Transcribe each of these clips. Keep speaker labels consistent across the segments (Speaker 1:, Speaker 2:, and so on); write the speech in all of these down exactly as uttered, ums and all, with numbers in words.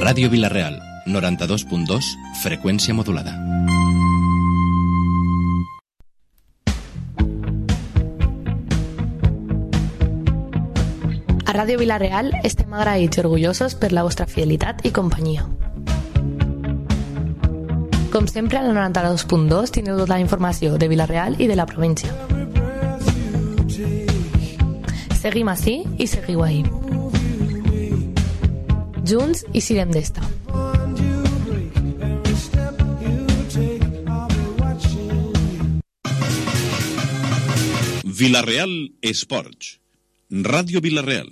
Speaker 1: Ràdio Vila-real, noranta-dos punt dos, freqüència modulada.
Speaker 2: A Ràdio Vila-real estem agraïts i orgullosos per la vostra fidelitat i companyia. Com sempre, a la noranta-dos punt dos teniu tota la informació de Vila-real i de la província. Seguim ací i seguiu ahí. Junts i siguem d'esta.
Speaker 3: Vila-real Esports. Ràdio Vila-real.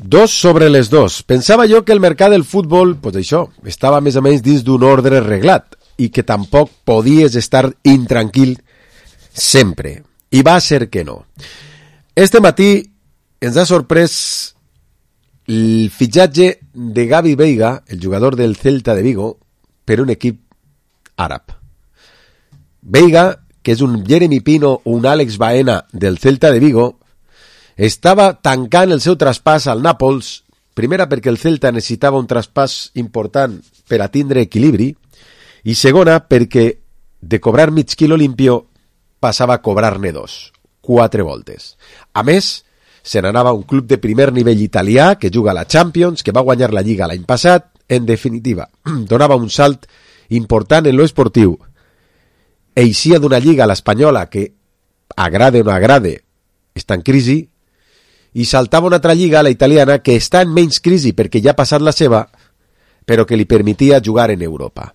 Speaker 4: Dos sobre les dos. Pensava jo que el mercat del futbol, pues això, estava més o menys dins d'un ordre reglat i que tampoc podies estar intranquil sempre. I va ser que no. Este matí ens ha sorprès el fitxatge de Gavi Veiga, el jugador del Celta de Vigo, per un equip àrab. Veiga, que és un Jeremy Pino o un Àlex Baena del Celta de Vigo, estava tancant el seu traspàs al Nàpols, primera perquè el Celta necessitava un traspàs important per a tindre equilibri, i segona perquè de cobrar mig quilo limpio passava a cobrar-ne dos, quatre voltes. A més, se n'anava a un club de primer nivell italià que juga a la Champions, que va guanyar la Lliga l'any passat, en definitiva, donava un salt important en lo esportiu. Eixia d'una Lliga, l'espanyola, que agrade o no agrade, està en crisi, i saltava una altra lliga, la italiana, que està en menys crisi perquè ja ha passat la seva, però que li permetia jugar en Europa.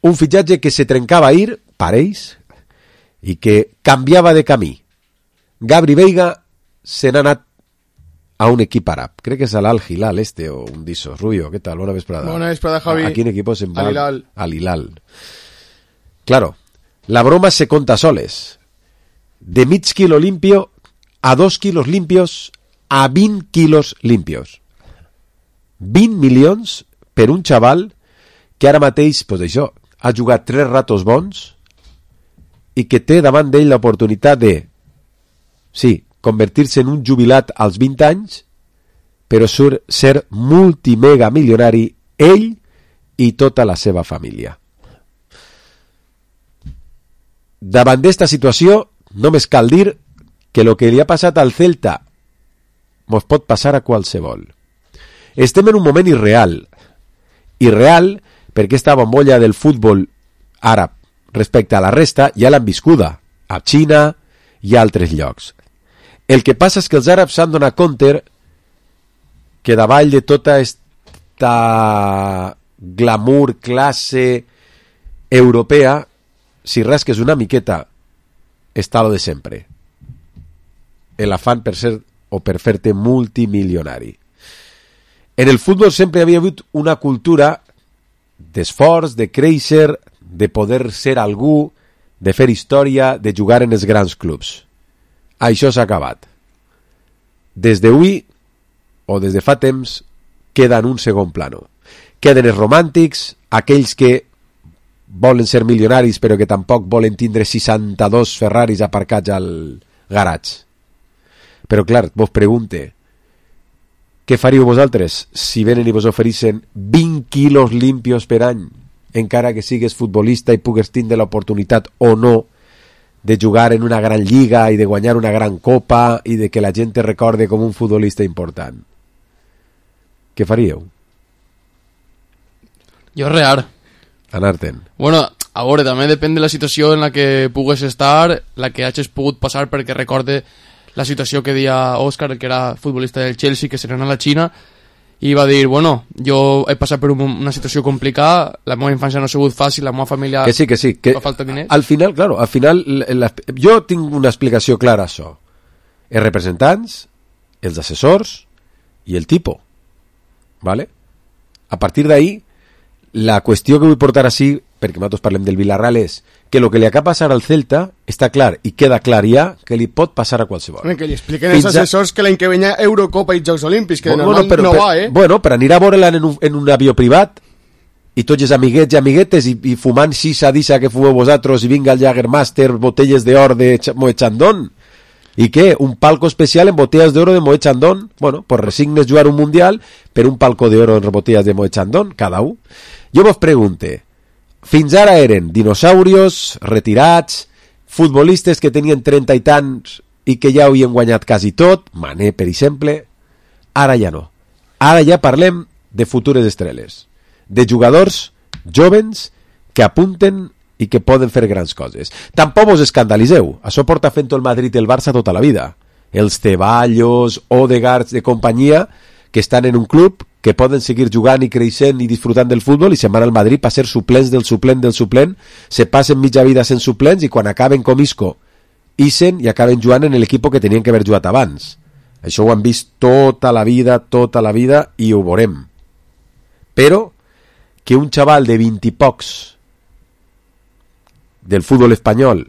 Speaker 4: Un fitxatge que se trencava ahir, pareix, i que canviava de camí. Gabri Veiga se n'ha anat a un equip àrab. Crec que és l'Al Hilal este o un d'Isos. Rubio, ¿qué tal? Bona vesprada.
Speaker 5: Bona vesprada, Javi.
Speaker 4: ¿A quin equipo se va?
Speaker 5: Al Hilal.
Speaker 4: Al Hilal. Claro, la broma se conta soles. De mig quilo limpio a dos quilos limpios a vint quilos limpios. vint milions per un xaval que ara mateix, pues això, ha jugat tres ratos bons i que té davant d'ell l'oportunitat de, sí, convertir-se en un jubilat als vint anys, però sur ser multimega milionari ell i tota la seva família. Davant d'esta situació, només cal dir que el que li ha passat al Celta mos pot passar a qualsevol. Estem en un moment irreal. Irreal perquè esta bombolla del futbol àrab respecte a la resta ja l'han viscuda a Xina i a altres llocs. El que passa és que els àrabs s'han donat compte que davall de tota esta glamour, classe europea, si rasques una miqueta, està lo de sempre. El afán per ser o per fer-te multimilionari. En el futbol sempre havia hagut una cultura d'esforç, de créixer, de poder ser algú, de fer història, de jugar en els grans clubs. Això s'ha acabat. Des d'avui, o des de fa temps, queda en un segon plano. Queden els romàntics, aquells que volen ser milionaris però que tampoc volen tindre seixanta-dos Ferraris aparcats al garatge. Però clar, vos pregunte, què faríeu vosaltres si venen i vos ofereixen vint quilos limpios per any, encara que sigues futbolista i pugues tindre l'oportunitat o no de jugar en una gran lliga i de guanyar una gran copa i de que la gent te recorde com un futbolista important? Què faríeu?
Speaker 5: Jo rear.
Speaker 4: Anar-te'n.
Speaker 5: Bueno, a veure, també depèn de la situació en la que pugues estar, la que hagis pogut passar, perquè recorde la situació que deia Òscar, que era futbolista del Chelsea, que se n'anà a la Xina, i va dir, bueno, jo he passat per un, una situació complicada, la meva infància no ha sigut fàcil, la meva família
Speaker 4: que sí, que sí, que
Speaker 5: fa falta diners.
Speaker 4: Al final, claro, al final, la, jo tinc una explicació clara a això. Els representants, els assessors i el tipo. ¿Vale? A partir d'ahí, la qüestió que vull portar així, perquè nosaltres parlem del Villarreal, és que el que li acaba passar al Celta està clar i queda clar ja que li pot passar a qualsevol.
Speaker 5: Que li expliquen els assessors a... que l'any que venia Eurocopa i Jocs Olímpics, que
Speaker 4: bueno,
Speaker 5: normal
Speaker 4: però,
Speaker 5: no
Speaker 4: però,
Speaker 5: va, eh?
Speaker 4: Bueno, per anar a veure-la en un, en un avió privat i tots els amiguets i amiguetes i, i fumant xisa d'issa que fumeu vosaltres i vinga el Jagermaster, botelles d'or de Moet Chandon. I què? Un palco especial en botellas d'oro de Moet Chandon? Bueno, pues resignes jugar un mundial per un palco d'oro en botellas de Moet Chandon, cada un. Jo vos pregunte, fins ara eren dinosaurios, retirats, futbolistes que tenien trenta i tants i que ja havien guanyat quasi tot, Mané, per exemple. Ara ja no. Ara ja parlem de futures estrelles, de jugadors jovens que apunten i que poden fer grans coses. Tampoc vos escandalitzeu, això porta fent el Madrid i el Barça tota la vida. Els Ceballos, Odegaard de companyia, que estan en un club, que poden seguir jugant i creixent i disfrutant del futbol i se'n van al Madrid per ser suplents del suplent del suplent, se passen mitja vida sent suplents i quan acaben com Isco, ixen i acaben jugant en l'equip que tenien que haver jugat abans. Això ho han vist tota la vida, tota la vida, i ho veurem. Però que un xaval de vint i pocs del futbol espanyol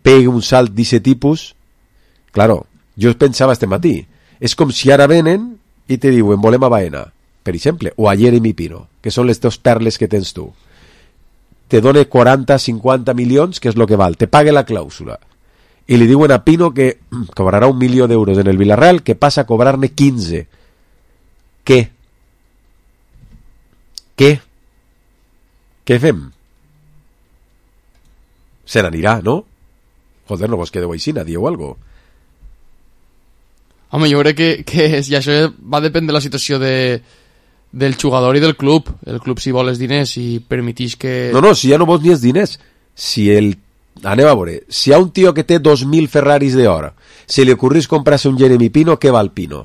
Speaker 4: pegue un salt d'aquest tipus, claro, jo pensava este matí, és com si ara venen i te diuen volem a Baena, per exemple, o a Jeremy Pino, que són les dos perles que tens tu. Te dona quaranta, cinquanta milions, que és el que val, te pague la clàusula. I li diuen a Pino que cobrarà un milió d'euros en el Villarreal, que passa a cobrar-ne quinze. Què? Què? Què fem? Se n'anirà, no? Joder, no vos quedeu així, dieu algo.
Speaker 5: Home, jo crec que, que és, i això va dependre de la situació de, del jugador i del club. El club si vol els diners i permetix que...
Speaker 4: No, no, si ja no vols ni els diners. Si el... Anem a veure, si hi ha un tio que té dos mil Ferraris d'hora, se li ocorrís comprar-se un Jeremy Pino, què val Pino?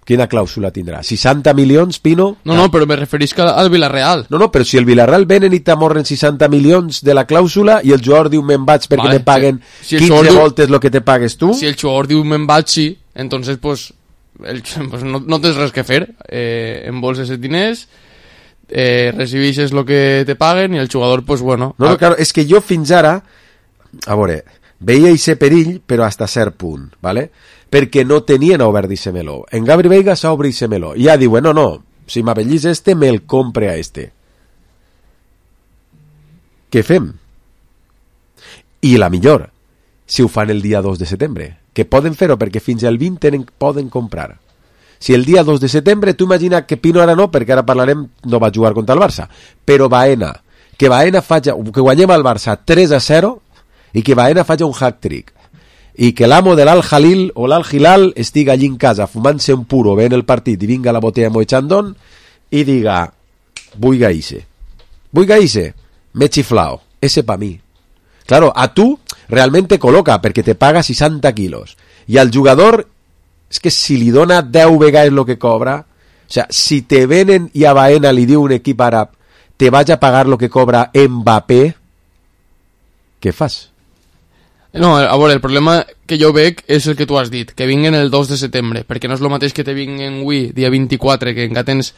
Speaker 4: Quina clàusula tindrà? seixanta milions, Pino?
Speaker 5: No, no, però me referisc al Villarreal.
Speaker 4: No, no, però si el Villarreal venen i t'amorren seixanta milions de la clàusula i el jugador diu me'n vaig perquè vale, me paguen si, si quinze diu, voltes el que te pagues tu...
Speaker 5: Si el jugador diu me'n vaig, sí, entonces pues, el, pues no, no tens res que fer. Eh, embolses els diners, eh, recibixes el que te paguen i el jugador, pues bueno...
Speaker 4: No, no, claro, és que jo fins ara, a veure, veia ese perill, però hasta cert punt, ¿vale? Perquè no tenien obert ese meló. En Gabri Veiga s'ha obrit ese meló. I ja diuen, no, no, si m'abellís este, me'l compre a este. Què fem? I la millor, si ho fan el dia dos de setembre, que poden fer-ho perquè fins al vint tenen, poden comprar. Si el dia dos de setembre, tu imagina que Pino ara no, perquè ara parlarem, no va jugar contra el Barça, però Baena, que Baena faci, que guanyem al Barça tres a zero i que Baena faci un hat-trick i que l'amo de l'Al-Jalil o l'Al-Hilal estiga allí en casa fumant-se un puro, veient el partit i vinga la botella Moet Chandon i diga, vull gaïsse vull gaïsse, m'he xiflao, ese pa mi. Claro, a tu realment te col·loca perquè te paga seixanta quilos i al jugador és que si li dona deu vegades el que cobra, o sea, si te venen i a Baena li diu un equip àrab te vaig a pagar lo que cobra Mbappé, què fas?
Speaker 5: No, a veure, el problema que jo veig és el que tu has dit, que vinguen el dos de setembre, perquè no és el mateix que te vinguen avui, dia vint-i-quatre, que encara tens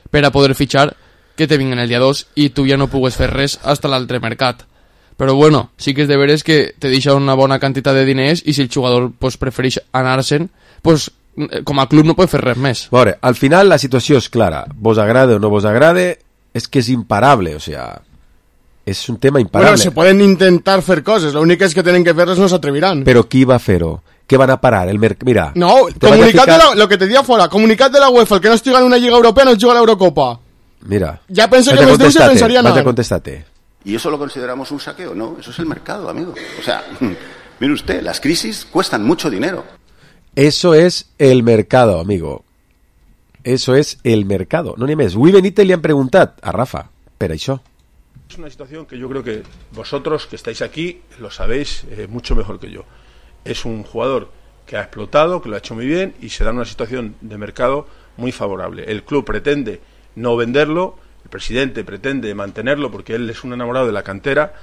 Speaker 5: per a poder fitxar, que te vinguen el dia dos i tu ja no pugues fer res fins a l'altre mercat. Però bueno, sí que és de veres que te deixa una bona quantitat de diners i si el jugador pues, prefereix anar-se'n, pues, com a club no pot fer res més.
Speaker 4: A veure, al final la situació és clara. Vos agrade o no vos agrade, és que és imparable, o sea... es un tema imparable.
Speaker 6: Bueno, se pueden intentar hacer cosas, lo único es que tienen que hacerlas, no se atreverán.
Speaker 4: Pero ¿quién va a hacerlo? ¿Qué van a parar? El merc... Mira.
Speaker 6: No, comunicad ficar... de la... lo que te diga fuera, comunicad de la UEFA, el que no estuviera en una Liga Europea no juega la Eurocopa.
Speaker 4: Mira.
Speaker 6: Ya pensé que los de se pensarían nada.
Speaker 4: Contestate.
Speaker 7: ¿Y eso lo consideramos un saqueo? No, eso es el mercado, amigo. O sea, mire usted, las crisis cuestan mucho dinero.
Speaker 4: Eso es el mercado, amigo. Eso es el mercado. No ni més. Avui Benítez li han preguntat a Rafa per això.
Speaker 8: Es una situación que yo creo que vosotros que estáis aquí lo sabéis eh, mucho mejor que yo. Es un jugador que ha explotado, que lo ha hecho muy bien y se da en una situación de mercado muy favorable. El club pretende no venderlo, el presidente pretende mantenerlo porque él es un enamorado de la cantera,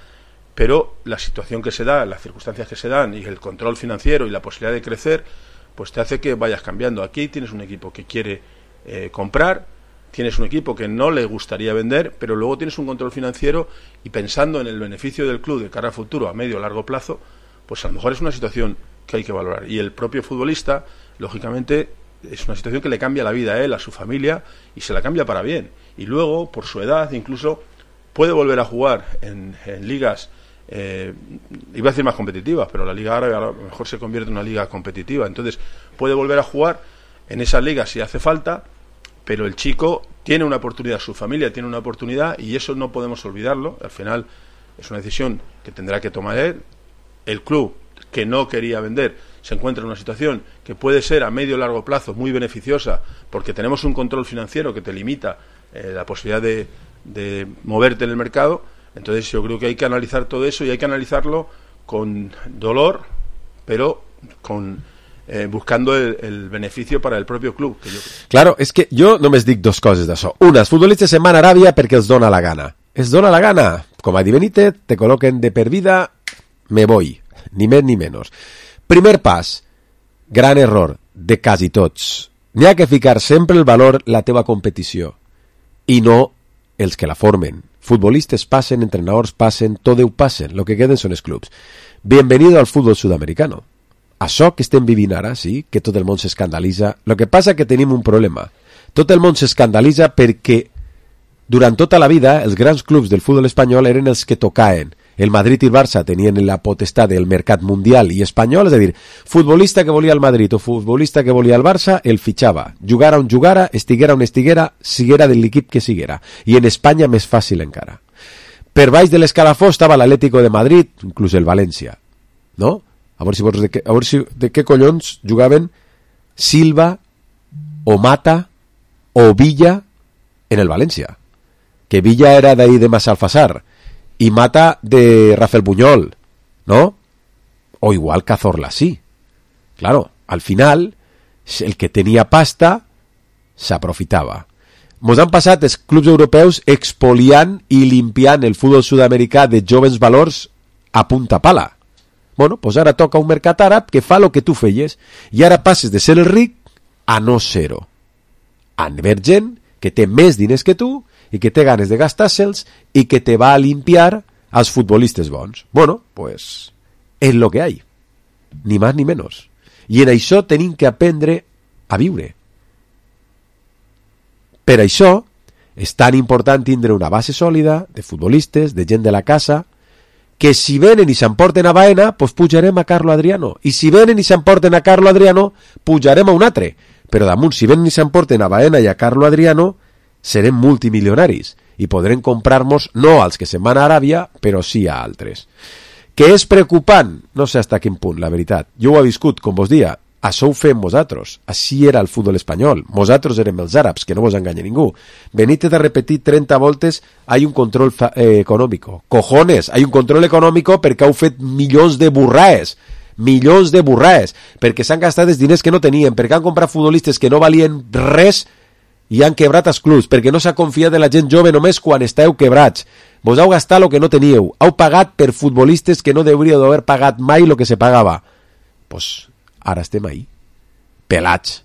Speaker 8: pero la situación que se da, las circunstancias que se dan y el control financiero y la posibilidad de crecer, pues te hace que vayas cambiando. Aquí tienes un equipo que quiere eh, comprar, tienes un equipo que no le gustaría vender, pero luego tienes un control financiero y pensando en el beneficio del club de cara a futuro, a medio o largo plazo, pues a lo mejor es una situación que hay que valorar. Y el propio futbolista, lógicamente, es una situación que le cambia la vida a él, a su familia, y se la cambia para bien. Y luego, por su edad, incluso puede volver a jugar en, en ligas eh, iba a decir más competitivas, pero la Liga Árabe a lo mejor se convierte en una liga competitiva, entonces puede volver a jugar en esa liga si hace falta, pero el chico tiene una oportunidad, su familia tiene una oportunidad y eso no podemos olvidarlo. Al final es una decisión que tendrá que tomar él. El club que no quería vender se encuentra en una situación que puede ser a medio o largo plazo muy beneficiosa, porque tenemos un control financiero que te limita eh, la posibilidad de, de moverte en el mercado. Entonces yo creo que hay que analizar todo eso y hay que analizarlo con dolor, pero con eh, buscando el, el beneficio para el propio club. Que yo...
Speaker 4: Claro, és que jo només dic dos coses d'això. Una, els futbolistes se'n van a Aràbia perquè els dona la gana. Els dona la gana. Com a Benítez, te col·loquen de per vida, me voy. Ni més ni menys. Primer pas, gran error de quasi tots. N'hi ha que ficar sempre el valor la teva competició i no els que la formen. Futbolistes passen, entrenadors passen, tot ho passen. Lo que queden són els clubs. Bienvenido al fútbol sudamericano. Això que estem vivint ara, sí, que tot el món s'escandalitza. Lo que passa que tenim un problema. Tot el món s'escandalitza perquè durant tota la vida els grans clubs del futbol espanyol eren els que tocaven. El Madrid i el Barça tenien la potestat del mercat mundial i espanyol, és a dir, futbolista que volia el Madrid o futbolista que volia el Barça, el fitxava. Jugara on jugara, estiguera on estiguera, siguera de l'equip que siguera. I en Espanya més fàcil encara. Per baix de l'escalafó estava l'Atlético de Madrid, inclús el València. No? A veure si, vols de, què, a veure si de què collons jugaven Silva o Mata o Villa en el València. Que Villa era d'ahí de Massalfassar y Mata de Rafael Buñol, ¿no? O igual Cazorla, sí. Claro, al final, el que tenia pasta s'aprofitava. Mos han passat els clubs europeus expoliant i limpiant el futbol sud-americà de jovens valors a punta pala. Bueno, pues ara toca un mercat àrab que fa el que tu feies i ara passes de ser el ric a no ser-ho. A haver gent que té més diners que tu i que té ganes de gastar-se'ls i que te va a limpiar als futbolistes bons. Bueno, pues és lo que hay. Ni más ni menos. I en això tenim que aprendre a viure. Per això és tan important tindre una base sòlida de futbolistes, de gent de la casa, que si venen i s'emporten a Baena, pues pujarem a Carlo Adriano. I si venen i s'emporten a Carlo Adriano, pujarem a un altre. Però damunt, si venen i s'emporten a Baena i a Carlo Adriano, serem multimilionaris i podrem comprar-nos no als que se'n van a Aràbia, però sí a altres. Que és preocupant? No sé fins a quin punt, la veritat. Jo ho he viscut, com vos dia. Això ho fem vosaltres. Així era el futbol espanyol. Vosaltres érem els àrabs, que no vos enganya ningú. Benítez ha repetit trenta voltes, hay un control eh, econòmico. Cojones, hay un control econòmico perquè heu fet milions de burraes. Milions de burraes. Perquè s'han gastat els diners que no tenien, perquè han comprat futbolistes que no valien res i han quebrat els clubs, perquè no s'ha confiat en la gent jove només quan esteu quebrats. Vos heu gastat el que no teníeu. Heu pagat per futbolistes que no hauríeu d'haver pagat mai el que se pagava. Pues ara estem ahí, pelats.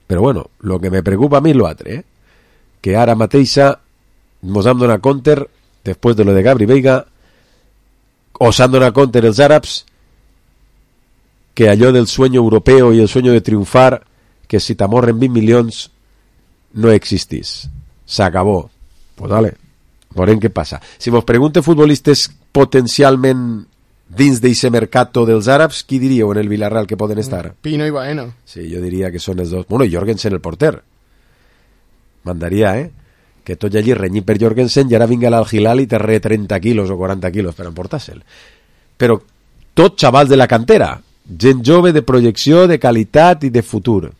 Speaker 4: Però bueno, el que me preocupa a mi és l'altre, eh? Que ara mateixa mos hem donat compte, després de lo de Gabri Veiga, o s'han donat compte els àrabs, que allò del sueño europeo i el sueño de triunfar, que si t'amorren vint milions no existís. S'acabó. Pues vale, veurem què passa. Si vos pregunte futbolistes potencialment dins d'eixe mercato dels àrabs, qui diríeu en el Villarreal que poden estar?
Speaker 5: Pino i Baena.
Speaker 4: Sí, jo diria que són els dos. Bueno, Jorgensen el porter. Mandaria, eh? Que tot allí renyit per Jorgensen i ara vinga l'Al-Hilal i te re trenta quilos o quaranta quilos per emportar-se'l. Però tot xavals de la cantera. Gent jove de projecció, de qualitat i de futur.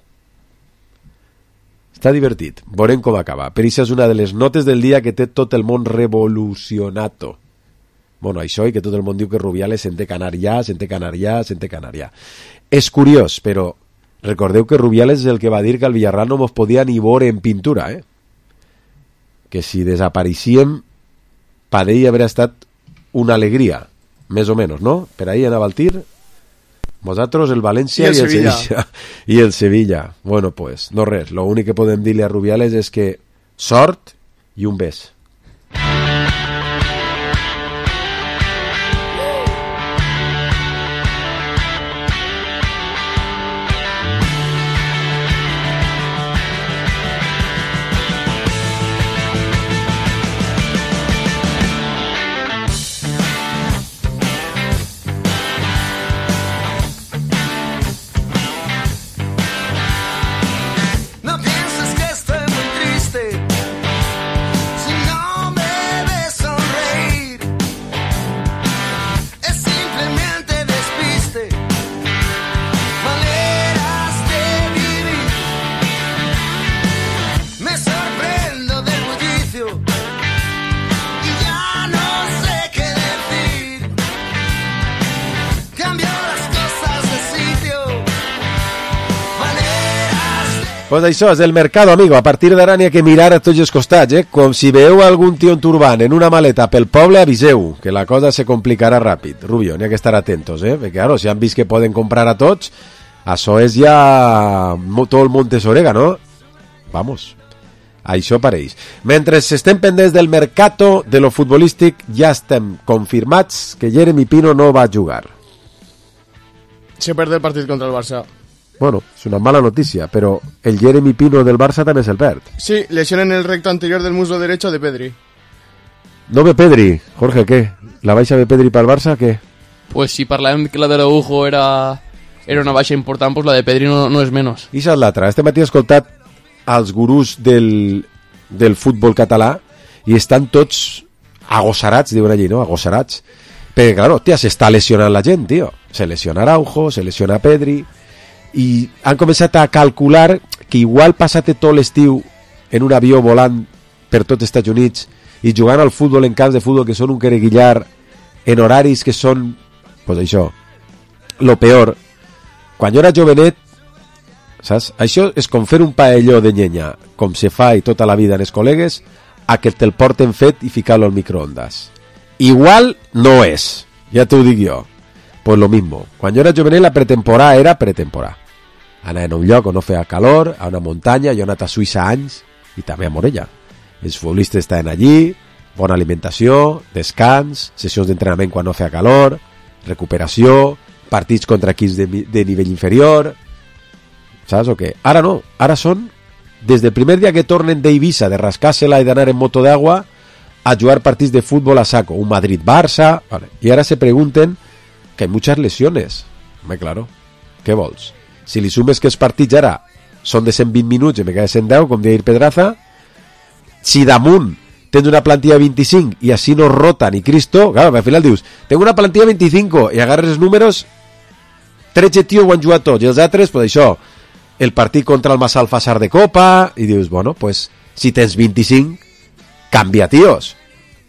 Speaker 4: Està divertit. Veurem com acaba. Per això és una de les notes del dia que té tot el món revolucionato. Bueno, això i que tot el món diu que Rubiales se'n té que anar ja, se'n té que anar ja, se'n té que anar ja. És curiós, però recordeu que Rubiales és el que va dir que al Villarreal no mos podia ni veure en pintura, eh? Que si desapareixíem, per ell hauria estat una alegria, més o menys, no? Per ahí anava el tir, vosaltres el València i el, i el Sevilla. Sevilla. I el Sevilla. Bueno, pues, no res. Lo únic que podem dir-li a Rubiales és que sort i un bes. Pues això és el mercado, amigo. A partir d'ara n'hi ha que mirar a tots els costats, eh? Com si veieu algun tio en turbant en una maleta pel poble, aviseu, que la cosa se complicarà ràpid. Rubio, n'hi ha que estar atentos, eh? Perquè, claro, si han vist que poden comprar a tots, això és ja tot el Montes Orega, no? Vamos, això pareix. Mentre estem pendents del mercato de lo futbolístic, ja estem confirmats que Jeremy Pino no va jugar.
Speaker 6: Se perd el partit contra el Barça.
Speaker 4: Bueno, és una mala notícia, però el Jeremy Pino del Barça també se'l perd.
Speaker 6: Sí, lesión en el recto anterior del muslo derecho de Pedri.
Speaker 4: No ve Pedri. Jorge, què? La baixa de Pedri pel Barça, què?
Speaker 5: Pues si parlàvem que la d'Araujo era, era una baixa important, pues la de Pedri no, no és menys.
Speaker 4: I això és l'altra. Este matí he escoltat als gurús del, del futbol català i estan tots agossarats, diuen allí, no? Agossarats. Perquè, claro, tia, s'està lesionant la gent, tio. Se lesiona Araujo, se lesiona Pedri... i han començat a calcular que igual passat tot l'estiu en un avió volant per tot Estats Units i jugant al futbol en camps de futbol que són un quereguillar en horaris que són, pues això, lo peor. Quan jo era jovenet, saps? Això és com fer un paelló de llenya, com se fa i tota la vida en els col·legues, a que te'l porten fet i ficar-lo al microondas. Igual no és, ja t'ho dic jo. Pues lo mismo. Quan jo era jovenet la pretemporada era pretemporada. Anar en un lloc on no feia calor, a una muntanya, jo he anat a Suïssa anys, i també a Morella. Els futbolistes estaven allí, bona alimentació, descans, sessions d'entrenament quan no feia calor, recuperació, partits contra equips de, de nivell inferior, saps o què? Ara no, ara són, des del primer dia que tornen d'Eivissa, de rascar-se-la i d'anar en moto d'agua, a jugar partits de futbol a saco, un Madrid-Barça, vale. I ara se pregunten que hay muchas lesiones. Home, claro, què vols? Si li sumes que els partits ara són de cent vint minuts i me queda cent deu, com deia Pedraza, si damunt tens una plantilla de vint-i-cinc i així no rota ni Cristo, claro, al final dius, tengo una plantilla de vint-i-cinc i agarres els números, tretze tios ho han jugat tots, i els altres, pues això, el partit contra el Massalfassar de Copa, i dius, bueno, pues, si tens vint-i-cinc, canvia tios,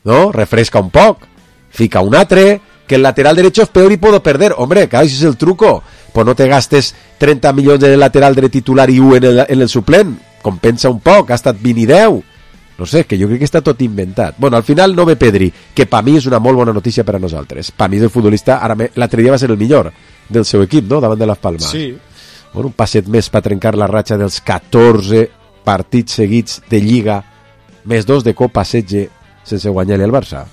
Speaker 4: no? Refresca un poc, fica un altre, que el lateral derecho es peor y puedo perder. Hombre, claro, ese es el truco. Pues no te gastes trenta milions en el lateral dret titular i u en el, en el suplent. Compensa un poc, ha estat vint i deu. No sé, que jo crec que està tot inventat. Bueno, al final no ve Pedri, que per mi és una molt bona notícia per a nosaltres. Per mi és el futbolista, ara l'altre dia va ser el millor del seu equip, no?, davant de Las Palmas.
Speaker 6: Sí.
Speaker 4: Bueno, un passet més per trencar la ratxa dels catorze partits seguits de Lliga, més dos de Copa setze, sense guanyar-li al Barça.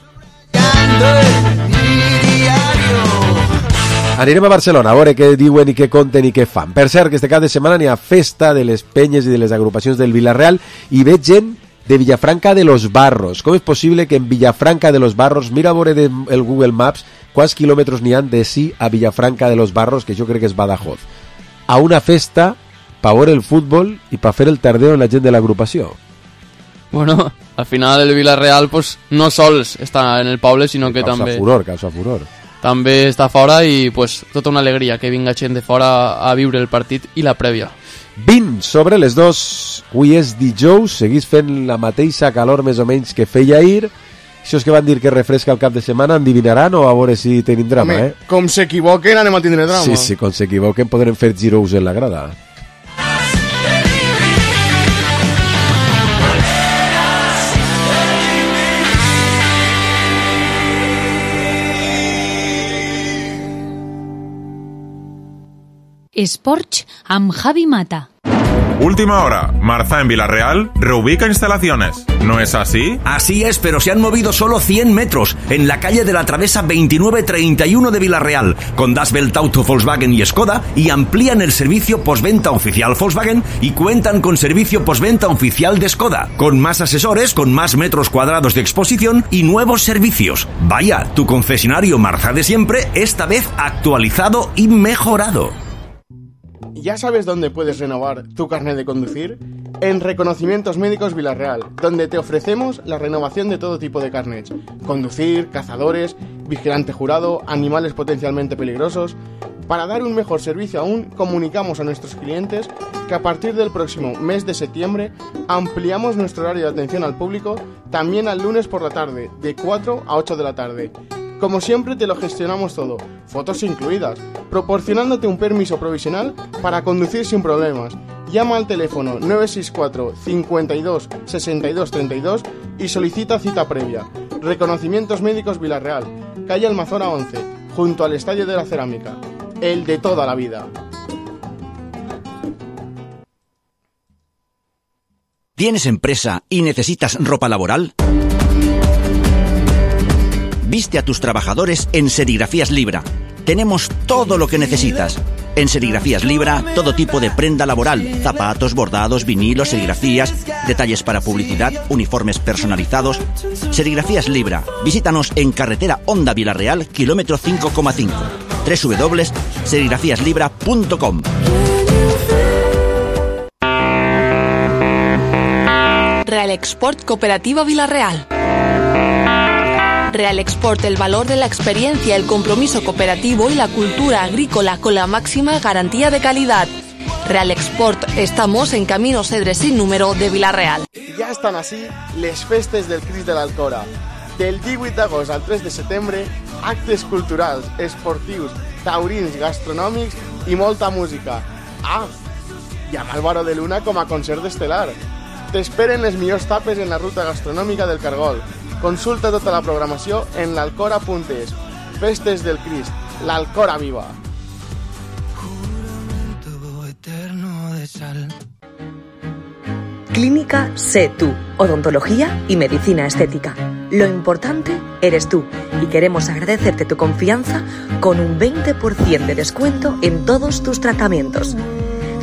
Speaker 4: Anirem a Barcelona a veure què diuen i què conten i què fan. Per cert, que este cap de setmana n'hi ha festa de les penyes i de les agrupacions del Villarreal i veig gent de Villafranca de los Barros. Com és possible que en Villafranca de los Barros, mira a veure el Google Maps quants quilòmetres n'hi han de sí a Villafranca de los Barros, que jo crec que és Badajoz, a una festa per veure el futbol i per fer el tardeo en la gent de l'agrupació.
Speaker 5: Bueno, al final el Villarreal pues, no sols està en el poble, sinó que
Speaker 4: causa
Speaker 5: també...
Speaker 4: Causa furor, causa furor.
Speaker 5: També està fora i pues, tota una alegria que vinga gent de fora a viure el partit i la prèvia.
Speaker 4: vint sobre les dos, avui és dijous, seguís fent la mateixa calor més o menys que feia ahir. Això és que van dir que refresca el cap de setmana, endivinaran o a veure si tenim drama,
Speaker 6: Home,
Speaker 4: eh?
Speaker 6: Com s'equivoquen anem a tindre drama.
Speaker 4: Sí, sí, com s'equivoquen podrem fer giros en la grada.
Speaker 9: Esports amb Javi Mata.
Speaker 10: Última hora, Marza en Villarreal reubica instalaciones. ¿No es así?
Speaker 11: Así es, pero se han movido solo cien metros en la calle de la Travesa veintinueve treinta y uno de Villarreal, con Das Welt Auto Volkswagen y Skoda, y amplían el servicio postventa oficial Volkswagen y cuentan con servicio postventa oficial de Skoda, con más asesores, con más metros cuadrados de exposición y nuevos servicios. Vaya, tu concesionario Marza de siempre, esta vez actualizado y mejorado.
Speaker 6: ¿Ya sabes dónde puedes renovar tu carnet de conducir? En Reconocimientos Médicos Villarreal, donde te ofrecemos la renovación de todo tipo de carnets. Conducir, cazadores, vigilante jurado, animales potencialmente peligrosos. Para dar un mejor servicio aún, comunicamos a nuestros clientes que a partir del próximo mes de septiembre ampliamos nuestro horario de atención al público también al lunes por la tarde, de cuatro a ocho de la tarde. Como siempre te lo gestionamos todo, fotos incluidas, proporcionándote un permiso provisional para conducir sin problemas Llama al teléfono nueve seis cuatro cincuenta y dos sesenta y dos treinta y dos y solicita cita previa. Reconocimientos Médicos Villarreal, calle Almazora once, junto al Estadio de la Cerámica. El de toda la vida.
Speaker 11: ¿Tienes empresa y necesitas ropa laboral? Viste a tus trabajadores en Serigrafías Libra. Tenemos todo lo que necesitas. En Serigrafías Libra, todo tipo de prenda laboral, zapatos, bordados, vinilos, serigrafías, detalles para publicidad, uniformes personalizados. Serigrafías Libra. Visítanos en carretera Honda Villarreal, kilómetro cinco coma cinco. doble u doble u doble u punto serigrafías libra punto com.
Speaker 12: Real Export Cooperativa Villarreal. Real Export, el valor de la experiencia, el compromiso cooperativo y la cultura agrícola con la máxima garantía de calidad. Real Export, estamos en Camino Cedre sin número de Villarreal.
Speaker 6: Ja estan així les festes del Crist de l'Alcora. Del divuit d'agost al tres de setembre, actes culturals, esportius, taurins, gastronòmics i molta música. Ah, i amb Álvaro de Luna com a concert estel·lar. T'esperen les millors tapes en la ruta gastronòmica del Cargol. Consulta tota la programació en l'alcora punt es. Festes del Crist, l'Alcora viva.
Speaker 13: Clínica Sé Tú, odontología y medicina estética. Lo importante eres tú y queremos agradecerte tu confianza con un veinte por ciento de descuento en todos tus tratamientos.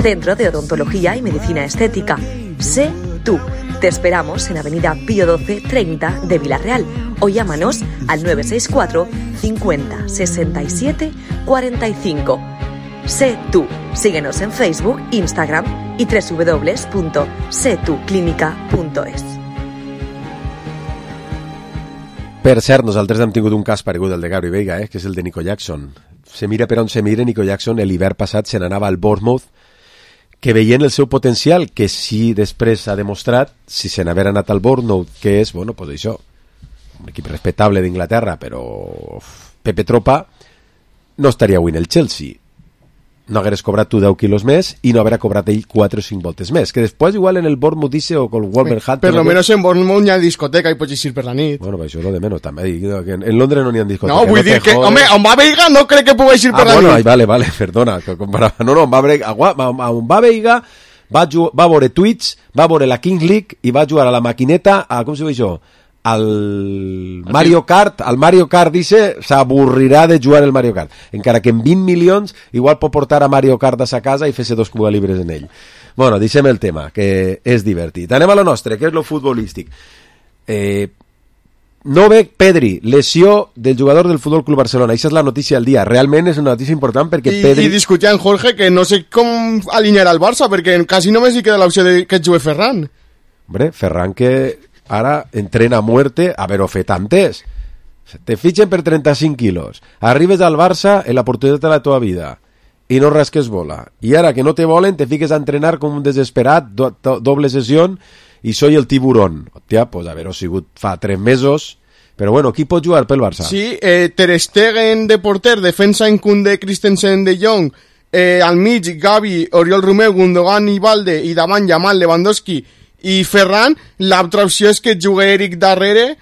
Speaker 13: Centro de Odontología y Medicina Estética. Sé Tú. Te esperamos en Avenida Pío doce treinta de Villarreal o llámanos al nueve seis cuatro cincuenta sesenta y siete cuarenta y cinco. Sé Tú. Síguenos en Facebook, Instagram y doble u doble u doble u punto sé tú clínica punto es.
Speaker 4: Per cert, nosaltres hem tingut un cas paregut al de Gabri Veiga, eh, que és el de Nico Jackson. Se mira per on se mire, Nico Jackson l'hivern passat se n'anava al Bournemouth, que veient el seu potencial, que sí després ha demostrat, si se n'haver anat al Bournemouth, que és, bueno, pues això, un equip respectable d'Inglaterra, però Pepe Tropa no estaria avui en el Chelsea. No hagueres cobrat tu deu quilos més i no haver cobrat ell quatre o cinc voltes més, que després igual en el Bournemouth dice o con Wolverhampton...
Speaker 6: Per lo menos en Bournemouth hi ha discoteca i pots eixir per la nit.
Speaker 4: Bueno, això és lo de menos també. En Londres no n'hi ha discoteca.
Speaker 6: No, vull
Speaker 4: no
Speaker 6: dir que, home, on va Veiga no crec que pugui eixir
Speaker 4: ah,
Speaker 6: per la
Speaker 4: bueno,
Speaker 6: nit.
Speaker 4: Ai, vale, vale, perdona. Que comparava. No, no, on va, on va Veiga va, va veure Twitch, va veure la Kings League i va jugar a la maquineta, a, com se diu això? Al Mario Kart, al Mario Kart dice, s'avorrirà de jugar el Mario Kart, encara que en vint milions igual pot portar a Mario Kart a sa casa i fer-se dos Cuba Libres en ell. Bueno, deixem el tema, que és divertit. Anem a lo nostre, que és lo futbolístic. Eh, no ve Pedri, lesió del jugador del Futbol Club Barcelona. Això és la notícia del dia. Realment és una notícia important perquè
Speaker 6: I,
Speaker 4: Pedri...
Speaker 6: I discutia en Jorge que no sé com alinearà el Barça, perquè quasi només hi queda l'opció de que jugui Ferran.
Speaker 4: Hombre, Ferran que... ara entrena a muerte, a ver, ho fet antes. Te fitxen per trenta-cinc quilos, arribes al Barça en la oportunitat de la teva vida i no rasques bola, i ara que no te volen te fiques a entrenar com un desesperat, do, do, doble sessió i soy el tiburón. Hòstia, pues haver-ho sigut fa tres mesos, però bueno, qui pot jugar pel Barça?
Speaker 6: Sí, eh, Ter Stegen de porter, defensa en Koundé, Christensen, De Jong, eh, al mig Gavi, Oriol Romeu, Gundogan i Valde, i davant Yamal, Lewandowski i Ferran. L'altra opció és que jugui Eric darrere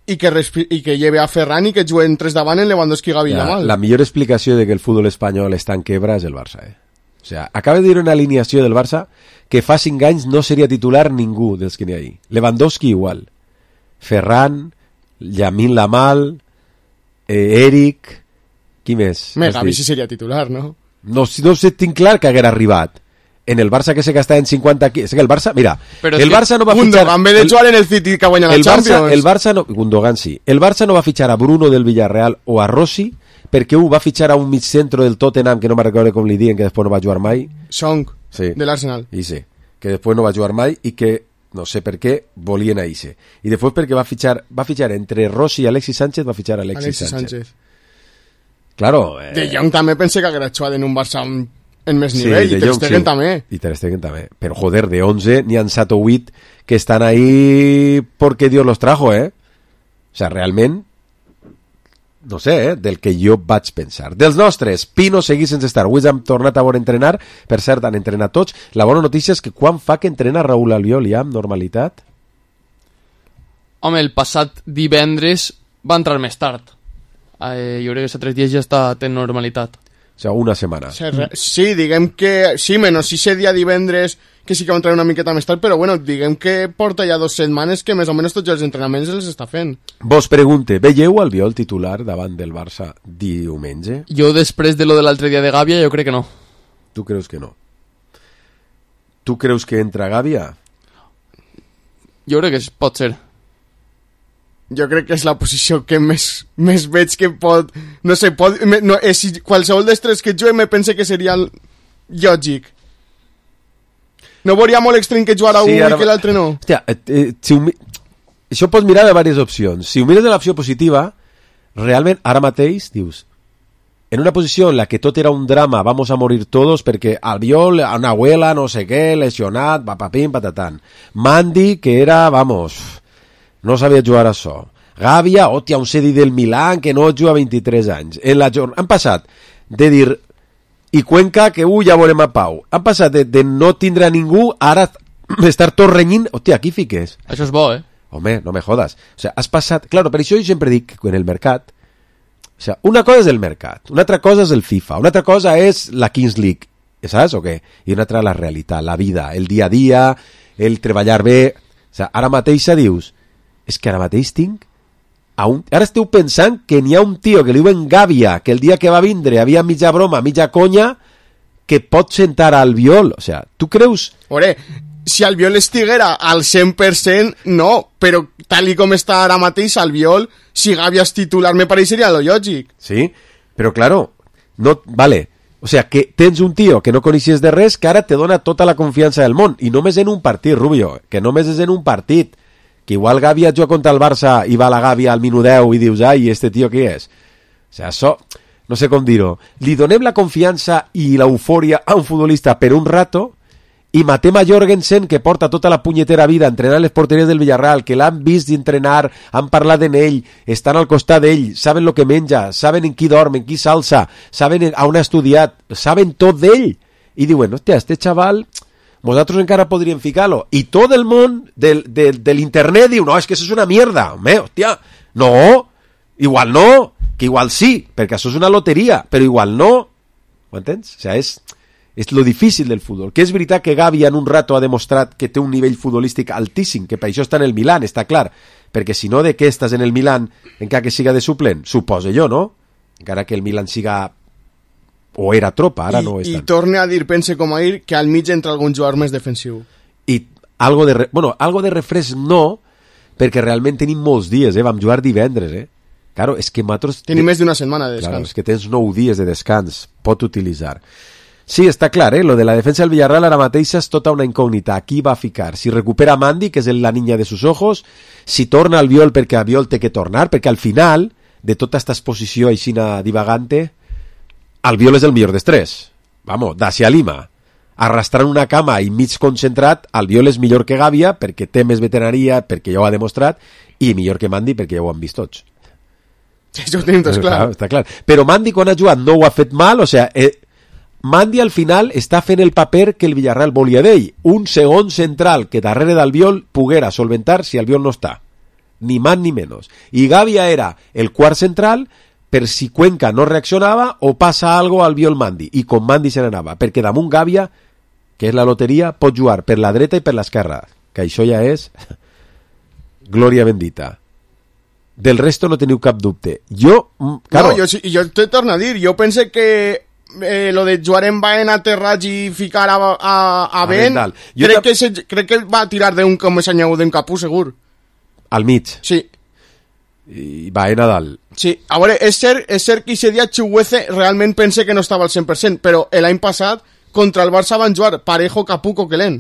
Speaker 6: i que, respi- i que lleve a Ferran i que juguen tres davant en Lewandowski, Gavi i Yamal.
Speaker 4: La millor explicació de que el futbol espanyol està en quebra és el Barça, eh? O sea, acaba de dir una alineació del Barça que fa cinc anys no seria titular ningú dels que n'hi ha ahí. Lewandowski igual, Ferran, Lamine Yamal, eh, Eric, qui més?
Speaker 6: Me, Gavi sí seria titular, no?
Speaker 4: No, no sé, tinc clar que haguera arribat. En el Barça que se gasta en cinquanta quilos. Es que el Barça, mira,
Speaker 6: Pero
Speaker 4: el Barça no va a fichar...
Speaker 6: Gundogan ve de jugar en el City que guanya la
Speaker 4: el
Speaker 6: Champions.
Speaker 4: Barça, el Barça no... Gundogan sí. El Barça no va a fichar a Bruno del Villarreal o a Rossi perquè un va fitxar a un mig centro del Tottenham que no me recordo com li diuen, que després no va jugar mai.
Speaker 6: Song,
Speaker 4: sí.
Speaker 6: de l'Arsenal.
Speaker 4: I sí, que després no va jugar mai i que no sé per què volien a Ise. I després perquè va fitxar, va fitxar entre Rossi i Alexis Sánchez, va fitxar a Alexis,
Speaker 6: Alexis
Speaker 4: Sánchez.
Speaker 6: Sánchez.
Speaker 4: Claro. Eh...
Speaker 6: De Jong també pensé que haguera jugat en un Barça en més
Speaker 4: Sí,
Speaker 6: nivell,
Speaker 4: De
Speaker 6: i Ter
Speaker 4: Jong,
Speaker 6: Stegen
Speaker 4: sí.
Speaker 6: també.
Speaker 4: I Ter Stegen també. Pero joder, de once ni han set o vuit que están ahí porque Dios los trajo, ¿eh? O sea, realment no sé, eh, del que jo vaig pensar. Dels nostres, Pino seguís sense estar. Avui hem tornat a veure entrenar. Per cert, han entrenat tots. La bona notícia és que quan fa que entrena Raúl Albiol ja amb normalitat?
Speaker 5: Home, el passat divendres va entrar més tard. Eh, jo crec que aquests tres dies ja està en normalitat.
Speaker 4: O sigui, una setmana.
Speaker 6: Sí, diguem que... Sí, menys si ese dia divendres que sí que va entrar una miqueta més tard, però bueno, diguem que porta ja dues setmanes que més o menys tots els entrenaments els està fent.
Speaker 4: Vos pregunte, veieu Albiol titular davant del Barça diumenge?
Speaker 5: Jo després de lo de l'altre dia de Gàbia, jo crec que no.
Speaker 4: Tu creus que no? Tu creus que entra Gàbia?
Speaker 5: Jo crec que pot ser.
Speaker 6: Jo crec que és la posició que més, més veig que pot... No sé, pot, no, és, si qualsevol dels tres que juguen me pense que seria lògic. No veuria molt extrem que jugara sí, un ara... i que l'altre no.
Speaker 4: Hòstia, eh, eh, si ho, això pots mirar de diverses opcions. Si ho mires de l'opció positiva, realment ara mateix dius, en una posició en la que tot era un drama, vamos a morir todos perquè Albiol, una abuela, no sé què, lesionat, papapim, patatán. Mandy, que era, vamos... no sabia jugar a això. Gàbia, hòstia, un cedi del Milan que no juga a vint-i-tres anys. En la jorn... Han passat de dir i Cuenca que ui, ja veurem a Pau. Han passat de, de no tindre a ningú ara estar tot renyint. Hòstia, aquí fiques.
Speaker 5: Això és bo, eh?
Speaker 4: Home, no me jodas. O sea, has passat... Claro, per això jo sempre dic que en el mercat... O sea, una cosa és el mercat, una altra cosa és el FIFA, una altra cosa és la Kings League, saps o què? I una altra la realitat, la vida, el dia a dia, el treballar bé... O sea, ara mateixa dius... és que ara mateix tinc a un... ara esteu pensant que n'hi ha un tio que li diuen Gàbia, que el dia que va vindre havia mitja broma, mitja conya, que pot sentar a Albiol. O sea, tu creus...
Speaker 6: Ore, si Albiol estiguera al cent per cent, no, però tal i com està ara mateix Albiol, si Gàbia és titular me pareixeria lo lògic.
Speaker 4: Sí, però claro, no... Vale, o sea, que tens un tio que no coneixies de res que ara te dona tota la confiança del món, i només en un partit, Rubio, que només és en un partit, que igual Gàbia juga contra el Barça i va la Gàbia al minut deu i dius, ai, este tio qui és? O sea, això, no sé com dir-ho. Li donem la confiança i l'eufòria a un futbolista per un rato i matem a Jorgensen, que porta tota la punyetera vida entrenant les porteries del Villarreal, que l'han vist entrenar, han parlat en ell, estan al costat d'ell, saben el que menja, saben en qui dorm, en qui s'alça, saben on ha estudiat, saben tot d'ell. I diuen, hòstia, este xaval... Nosaltres encara podríem ficar-lo. I tot el món del, del, de l'internet diu, no, és que això és una mierda. Home, hòstia, no, igual no, que igual sí, perquè això és una loteria, però igual no. Ho entens? O sigui, és, és lo difícil del futbol. Que és veritat que Gavi en un rato ha demostrat que té un nivell futbolístic altíssim, que per això està en el Milan, està clar. Perquè si no, de què estàs en el Milan, encara que siga de suplent? Suposo jo, no? Encara que el Milan siga... o era tropa, ara
Speaker 6: I,
Speaker 4: no és
Speaker 6: i
Speaker 4: tant.
Speaker 6: torne a dir, pense com a dir, que al mig entra algun jugador més defensiu.
Speaker 4: I algo de, re... bueno, algo de refresc no, perquè realment tenim molts dies, eh? Vam jugar divendres, eh? Claro, és que nosaltres...
Speaker 6: Tenim més d'una setmana de descans.
Speaker 4: Claro, és que tens nou dies de descans, pot utilitzar. Sí, està clar, eh? Lo de la defensa del Villarreal ara mateix és tota una incògnita. Aquí va a ficar. Si recupera Mandy, que és la niña de sus ojos, si torna Albiol perquè Albiol té que tornar, perquè al final, de tota esta exposició aixina divagante, Albiol és el millor dels tres. Vamos, Dacia Lima. Arrastrant una cama i mig concentrat, Albiol és millor que Gàbia perquè té més veteraria, perquè ja ho ha demostrat, i millor que Mandy perquè ja ho han vist tots.
Speaker 6: Això ho tenim tots clar.
Speaker 4: Està clar. Però Mandy quan ha jugat no ho ha fet mal, o sea, eh, Mandy al final està fent el paper que el Villarreal volia d'ell. Un segon central que darrere d'Albiol poguera solventar si Albiol no està. Ni más ni menos. I Gàbia era el quart central per si Cuenca no reaccionava o passa algo al Albiol Mandy, i com Mandy se n'anava, perquè damunt Gàbia, que és la loteria, pot jugar per la dreta i per l'esquerra, que això ja és glòria bendita. Del resto no teniu cap dubte. Jo, claro,
Speaker 6: no, jo, jo te torno a dir, jo pense que eh, lo de jugar en Baena, Terrats i ficar a, a, a Ben, crec que, se, crec que va tirar d'un com s'anyau d'un capú, segur.
Speaker 4: Al mig?
Speaker 6: Sí.
Speaker 4: I Baena dalt.
Speaker 6: Sí, a veure, és cert, és cert que aquest dia Chuguece realment pense que no estava al cent per cent, però l'any passat contra el Barça van jugar Parejo, Capú, Coquelin.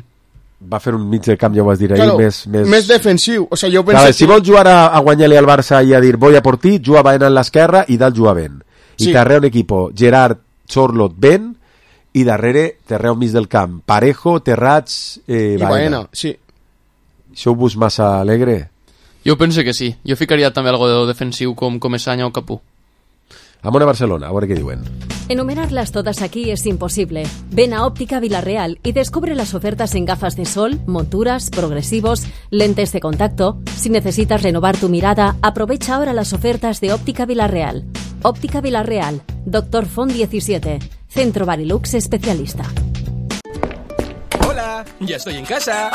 Speaker 4: Va fer un mig del camp, ja ho has dit ahir,
Speaker 6: claro,
Speaker 4: més, més...
Speaker 6: més defensiu. O sea, jo pense
Speaker 4: claro,
Speaker 6: que...
Speaker 4: Si vols jugar a, a guanyar-li al Barça i a dir voy a por ti, juga Baena en l'esquerra i dalt juga Ben. I sí. Darrere un equipo, Gerard, Chorlot, Ben, i darrere, darrere un mig del camp, Parejo, Terrats, eh, Baena.
Speaker 6: I Baena, sí.
Speaker 4: Això ho veus massa alegre?
Speaker 5: Jo penso que sí. Jo ficaria també algo de defensiu com Comesaña o Capú.
Speaker 4: Amunt a Barcelona, a veure què diuen.
Speaker 14: Enumerarlas todas aquí es imposible. Ven a Óptica Villarreal y descubre las ofertas en gafas de sol, monturas, progresivos, lentes de contacto. Si necesitas renovar tu mirada, aprovecha ahora las ofertas de Óptica Villarreal. Óptica Villarreal, Doctor Font diecisiete, Centro Barilux Especialista.
Speaker 15: Hola, ya estoy en casa.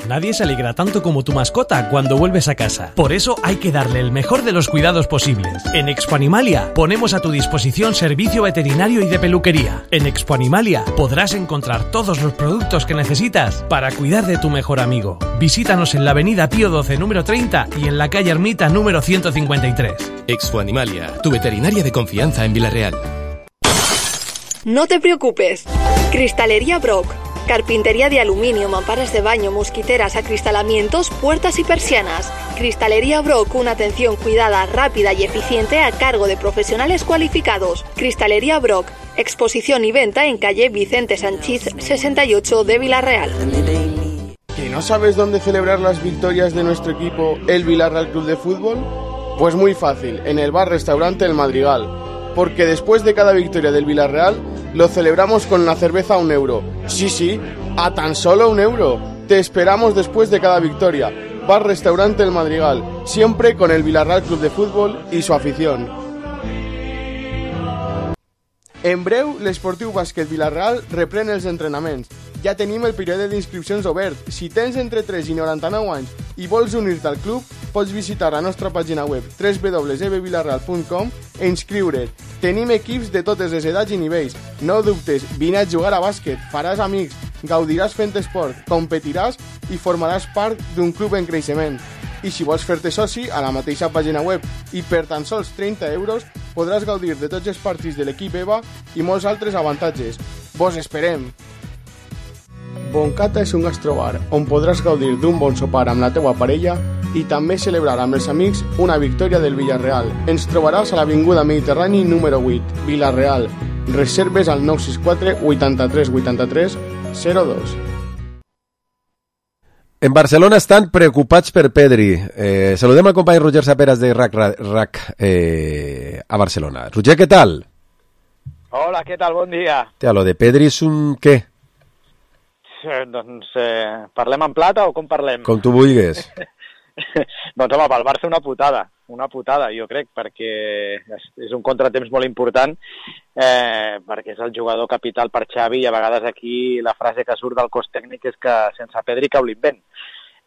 Speaker 15: Nadie se alegra tanto como tu mascota cuando vuelves a casa. Por eso hay que darle el mejor de los cuidados posibles. En Expo Animalia ponemos a tu disposición servicio veterinario y de peluquería. En Expo Animalia podrás encontrar todos los productos que necesitas para cuidar de tu mejor amigo. Visítanos en la avenida Pío doce número treinta y en la calle Ermita número ciento cincuenta y tres.
Speaker 1: Expo Animalia, tu veterinaria de confianza en Villarreal.
Speaker 12: No te preocupes. Cristalería Brock. Carpintería de aluminio, mamparas de baño, mosquiteras, acristalamientos, puertas y persianas. Cristalería Brock, una atención cuidada, rápida y eficiente a cargo de profesionales cualificados. Cristalería Brock, exposición y venta en calle Vicente Sanchís sesenta y ocho de Villarreal.
Speaker 6: ¿Que no sabes dónde celebrar las victorias de nuestro equipo, el Villarreal Club de Fútbol? Pues muy fácil, en el bar-restaurante El Madrigal. Porque después de cada victoria del Villarreal, lo celebramos con la cerveza a un euro. Sí, sí, a tan solo un euro. Te esperamos después de cada victoria. Bar-restaurante El Madrigal, siempre con el Villarreal Club de Fútbol y su afición. En breu, l'Esportiu Bàsquet Villarreal reprèn els entrenaments. Ja tenim el període d'inscripcions obert. Si tens entre tres i noranta-nou anys i vols unir-te al club, pots visitar la nostra pàgina web w w w punt e b villarreal punt com e inscriure't. Tenim equips de totes les edats i nivells. No dubtes, vine a jugar a bàsquet, faràs amics, gaudiràs fent esport, competiràs i formaràs part d'un club en creixement. I si vols fer-te soci, a la mateixa pàgina web i per tan sols trenta euros podràs gaudir de tots els partits de l'equip EVA i molts altres avantatges. Vos esperem! Boncata és un gastrobar on podràs gaudir d'un bon sopar amb la teua parella i també celebrar amb els amics una victòria del Villarreal. Ens trobaràs a l'Avinguda Mediterrani número vuit, Villarreal. Reserves al nou sis quatre vuitanta-tres vuitanta-tres zero dos.
Speaker 4: En Barcelona estan preocupats per Pedri. Eh, saludem al company Roger Saperas de RAC, RAC eh, a Barcelona. Roger, què tal?
Speaker 16: Hola, què tal? Bon dia.
Speaker 4: Tia, lo de Pedri és un què?
Speaker 16: Eh, doncs eh, parlem en plata o com parlem?
Speaker 4: Com tu vulguis.
Speaker 16: Doncs home, pel Barça una putada, una putada jo crec, perquè és un contratemps molt important, eh, perquè és el jugador capital per Xavi i a vegades aquí la frase que surt del cos tècnic és que sense Pedri cau l'invent.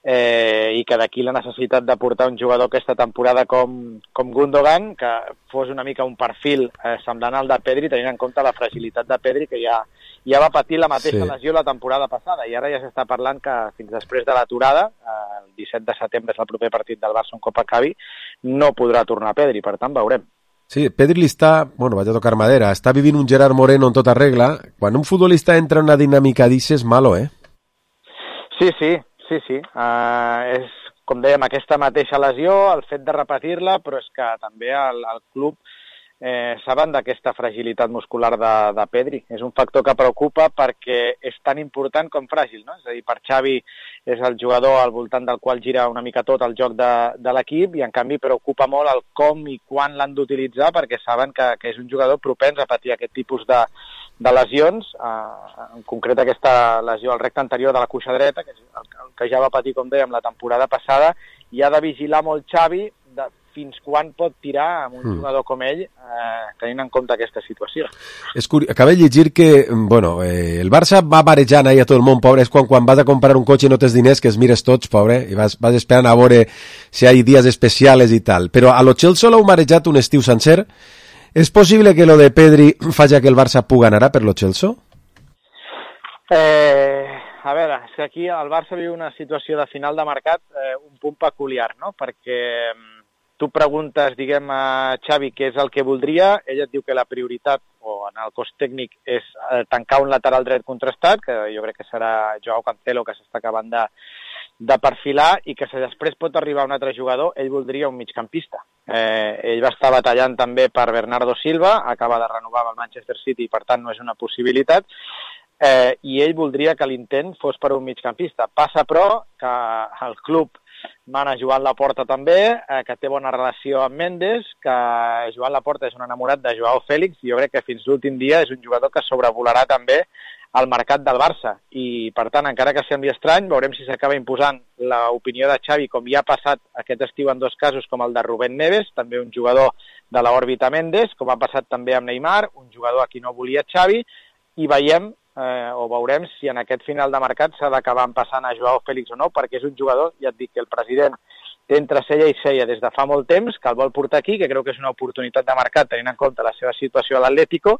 Speaker 16: Eh, i que d'aquí la necessitat de portar un jugador aquesta temporada com, com Gundogan, que fos una mica un perfil eh, semblant al de Pedri, tenint en compte la fragilitat de Pedri, que ja, ja va patir la mateixa sí. lesió la temporada passada, i ara ja s'està parlant que fins després de l'aturada, eh, el disset de setembre és el proper partit del Barça un cop acabi, no podrà tornar Pedri, per tant veurem.
Speaker 4: Sí, Pedri li està, bueno, vaig a tocar madera, està vivint un Gerard Moreno en tota regla. Quan un futbolista entra en una dinàmica d'ixes, malo, eh?
Speaker 16: Sí, sí, Sí, sí, uh, és, com dèiem, aquesta mateixa lesió, el fet de repetir-la, però és que també el, el club eh, saben d'aquesta fragilitat muscular de, de Pedri. És un factor que preocupa perquè és tan important com fràgil, no? És a dir, per Xavi és el jugador al voltant del qual gira una mica tot el joc de, de l'equip i, en canvi, preocupa molt el com i quan l'han d'utilitzar perquè saben que, que és un jugador propens a patir aquest tipus de de lesions, eh, en concret aquesta lesió al recte anterior de la cuixa dreta, que és el, el que ja va patir, com dèiem, la temporada passada, i ha de vigilar molt Xavi de fins quan pot tirar amb un mm. jugador com ell, eh, tenint en compte aquesta situació.
Speaker 4: És curi... Acaba de llegir que, bueno, eh, el Barça va marejant ahí a tot el món, pobre, és quan, quan vas a comprar un cotxe i no tens diners, que els mires tots, pobre, i vas, vas esperant a veure si hi ha dies especials i tal. Però a lo Chelsea l'heu marejat un estiu sencer. ¿Es posible que lo de Pedri falla que el Barça puga anar per lo Chelsea?
Speaker 16: Eh, a veure, és que aquí el Barça viu una situació de final de mercat eh, un punt peculiar, no? Perquè tu preguntes, diguem, a Xavi què és el que voldria, ell et diu que la prioritat, o en el cos tècnic, és eh, tancar un lateral dret contrastat, que jo crec que serà Joao Cancelo, que s'està acabant de, de perfilar, i que si després pot arribar un altre jugador, ell voldria un migcampista. Eh, ell va estar batallant també per Bernardo Silva, acaba de renovar amb el Manchester City i per tant no és una possibilitat, eh, i ell voldria que l'intent fos per un migcampista. Passa però que el club mana Joan Laporta també, eh, que té bona relació amb Mendes, que Joan Laporta és un enamorat de Joao Fèlix, i jo crec que fins l'últim dia és un jugador que sobrevolarà també al mercat del Barça, i per tant, encara que sembli estrany, veurem si s'acaba imposant l'opinió de Xavi, com ja ha passat aquest estiu en dos casos, com el de Rubén Neves, també un jugador de l'òrbita Mendes, com ha passat també amb Neymar, un jugador a qui no volia Xavi, i veiem eh, o veurem si en aquest final de mercat s'ha d'acabar passant a Joao Fèlix o no, perquè és un jugador, ja et dic, que el president té entre cella i cella des de fa molt temps, que el vol portar aquí, que creu que és una oportunitat de mercat tenint en compte la seva situació a l'Atlético,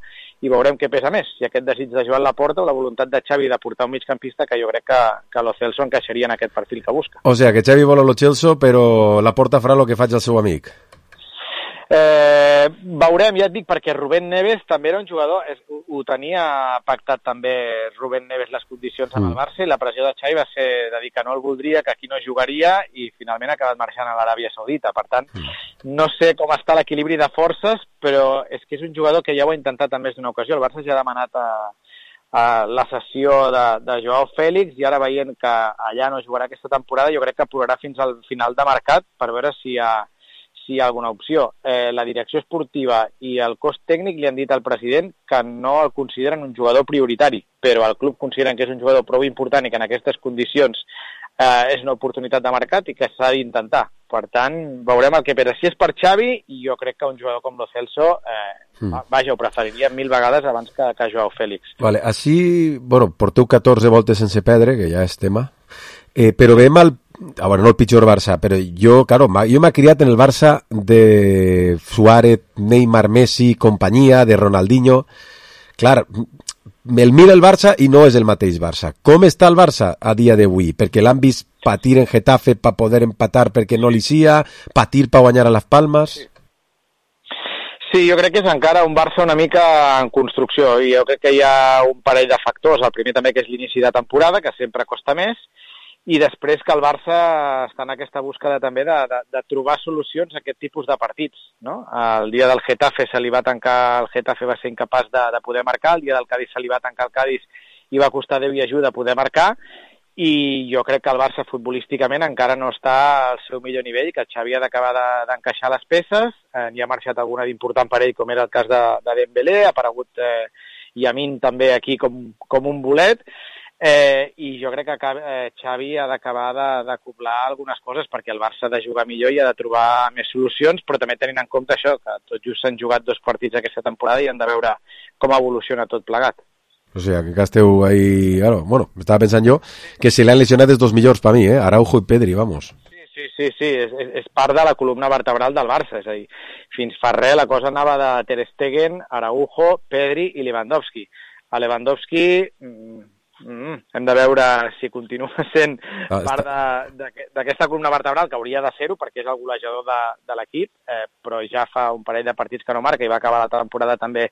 Speaker 16: i veurem què pesa més, si aquest desig de Joan Laporta o la voluntat de Xavi de portar un migcampista que jo crec que, que Lo Celso encaixaria en aquest perfil que busca.
Speaker 4: O sigui, que Xavi vol a Lo Celso, però Laporta farà el que faig al seu amic.
Speaker 16: Eh, veurem, ja et dic, perquè Rubén Neves també era un jugador, és, ho, ho tenia pactat també Rubén Neves les condicions amb el Barça, i la pressió de Xavi va ser de dir que no el voldria, que aquí no jugaria, i finalment ha acabat marxant a l'Aràbia Saudita. Per tant, no sé com està l'equilibri de forces, però és que és un jugador que ja ho ha intentat en més d'una ocasió. El Barça ja ha demanat a, a la cessió de, de Joao Fèlix, i ara veient que allà no jugarà aquesta temporada, jo crec que apurarà fins al final de mercat per veure si hi ha si hi ha alguna opció. Eh, la direcció esportiva i el cos tècnic li han dit al president que no el consideren un jugador prioritari, però el club consideren que és un jugador prou important i que en aquestes condicions eh, és una oportunitat de mercat i que s'ha d'intentar. Per tant, veurem el que pesa. Si és per Xavi, jo crec que un jugador com Lo Celso, eh, mm. vaja, ho preferiria mil vegades abans que, que Joao Fèlix.
Speaker 4: Vale, així, bueno, porteu catorze voltes sense perdre, que ja és tema, eh, però veiem el Ah, bueno, no el pitjor Barça, però jo, claro, jo m'he criat en el Barça de Suárez, Neymar, Messi, companyia, de Ronaldinho. Clar, el mira el Barça i no és el mateix Barça. Com està el Barça a dia d'avui? Perquè l'han vist patir en Getafe per poder empatar perquè no li sia, patir per guanyar a les Palmes...
Speaker 16: Sí. Sí, jo crec que és encara un Barça una mica en construcció, i jo crec que hi ha un parell de factors. El primer també que és l'inici de temporada, que sempre costa més, i després que el Barça està en aquesta búsqueda també de, de, de trobar solucions a aquest tipus de partits, no? El dia del Getafe se li va tancar, el Getafe va ser incapaç de, de poder marcar, el dia del Cádiz se li va tancar el Cádiz i va costar Déu i ajuda poder marcar, i jo crec que el Barça futbolísticament encara no està al seu millor nivell, que Xavi ha d'acabar de, d'encaixar les peces, eh, n'hi ha marxat alguna d'important per ell, com era el cas de, de Dembélé, ha aparegut eh, Yamin també aquí com, com un bolet, eh, i jo crec que eh, Xavi ha d'acabar de, d'acoblar algunes coses, perquè el Barça ha de jugar millor i ha de trobar més solucions, però també tenint en compte això, que tot just s'han jugat dos partits aquesta temporada i han de veure com evoluciona tot plegat.
Speaker 4: O sea, que esteu ahí... Claro, bueno, estaba pensant jo que si l'han lesionat els dos millors per mi, eh? Araujo i Pedri, vamos.
Speaker 16: Sí, sí, sí, sí. És, és part de la columna vertebral del Barça, és a dir, fins fa res la cosa anava de Ter Stegen, Araujo, Pedri i Lewandowski. A Lewandowski mm, mm, hem de veure si continua sent ah, part de, de, d'aquesta columna vertebral, que hauria de ser-ho perquè és el golejador de, de l'equip, eh, però ja fa un parell de partits que no marca i va acabar la temporada també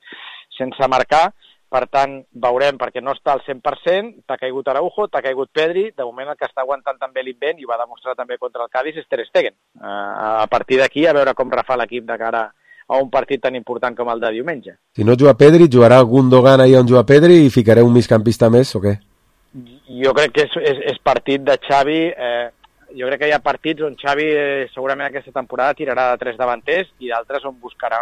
Speaker 16: sense marcar. Per tant, veurem, perquè no està al cent per cent, t'ha caigut Araujo, t'ha caigut Pedri, de moment el que està aguantant també l'invent, i ho va demostrar també contra el Cádiz, és Ter Stegen. Uh, a partir d'aquí, a veure com refà l'equip de cara a un partit tan important com el de diumenge.
Speaker 4: Si no juga Pedri, jugarà Gundogan ahí on juga Pedri i ficaré un migcampista més, o què?
Speaker 16: Jo crec que és, és, és partit de Xavi... Eh, jo crec que hi ha partits on Xavi eh, segurament aquesta temporada tirarà de tres davanters i d'altres on buscarà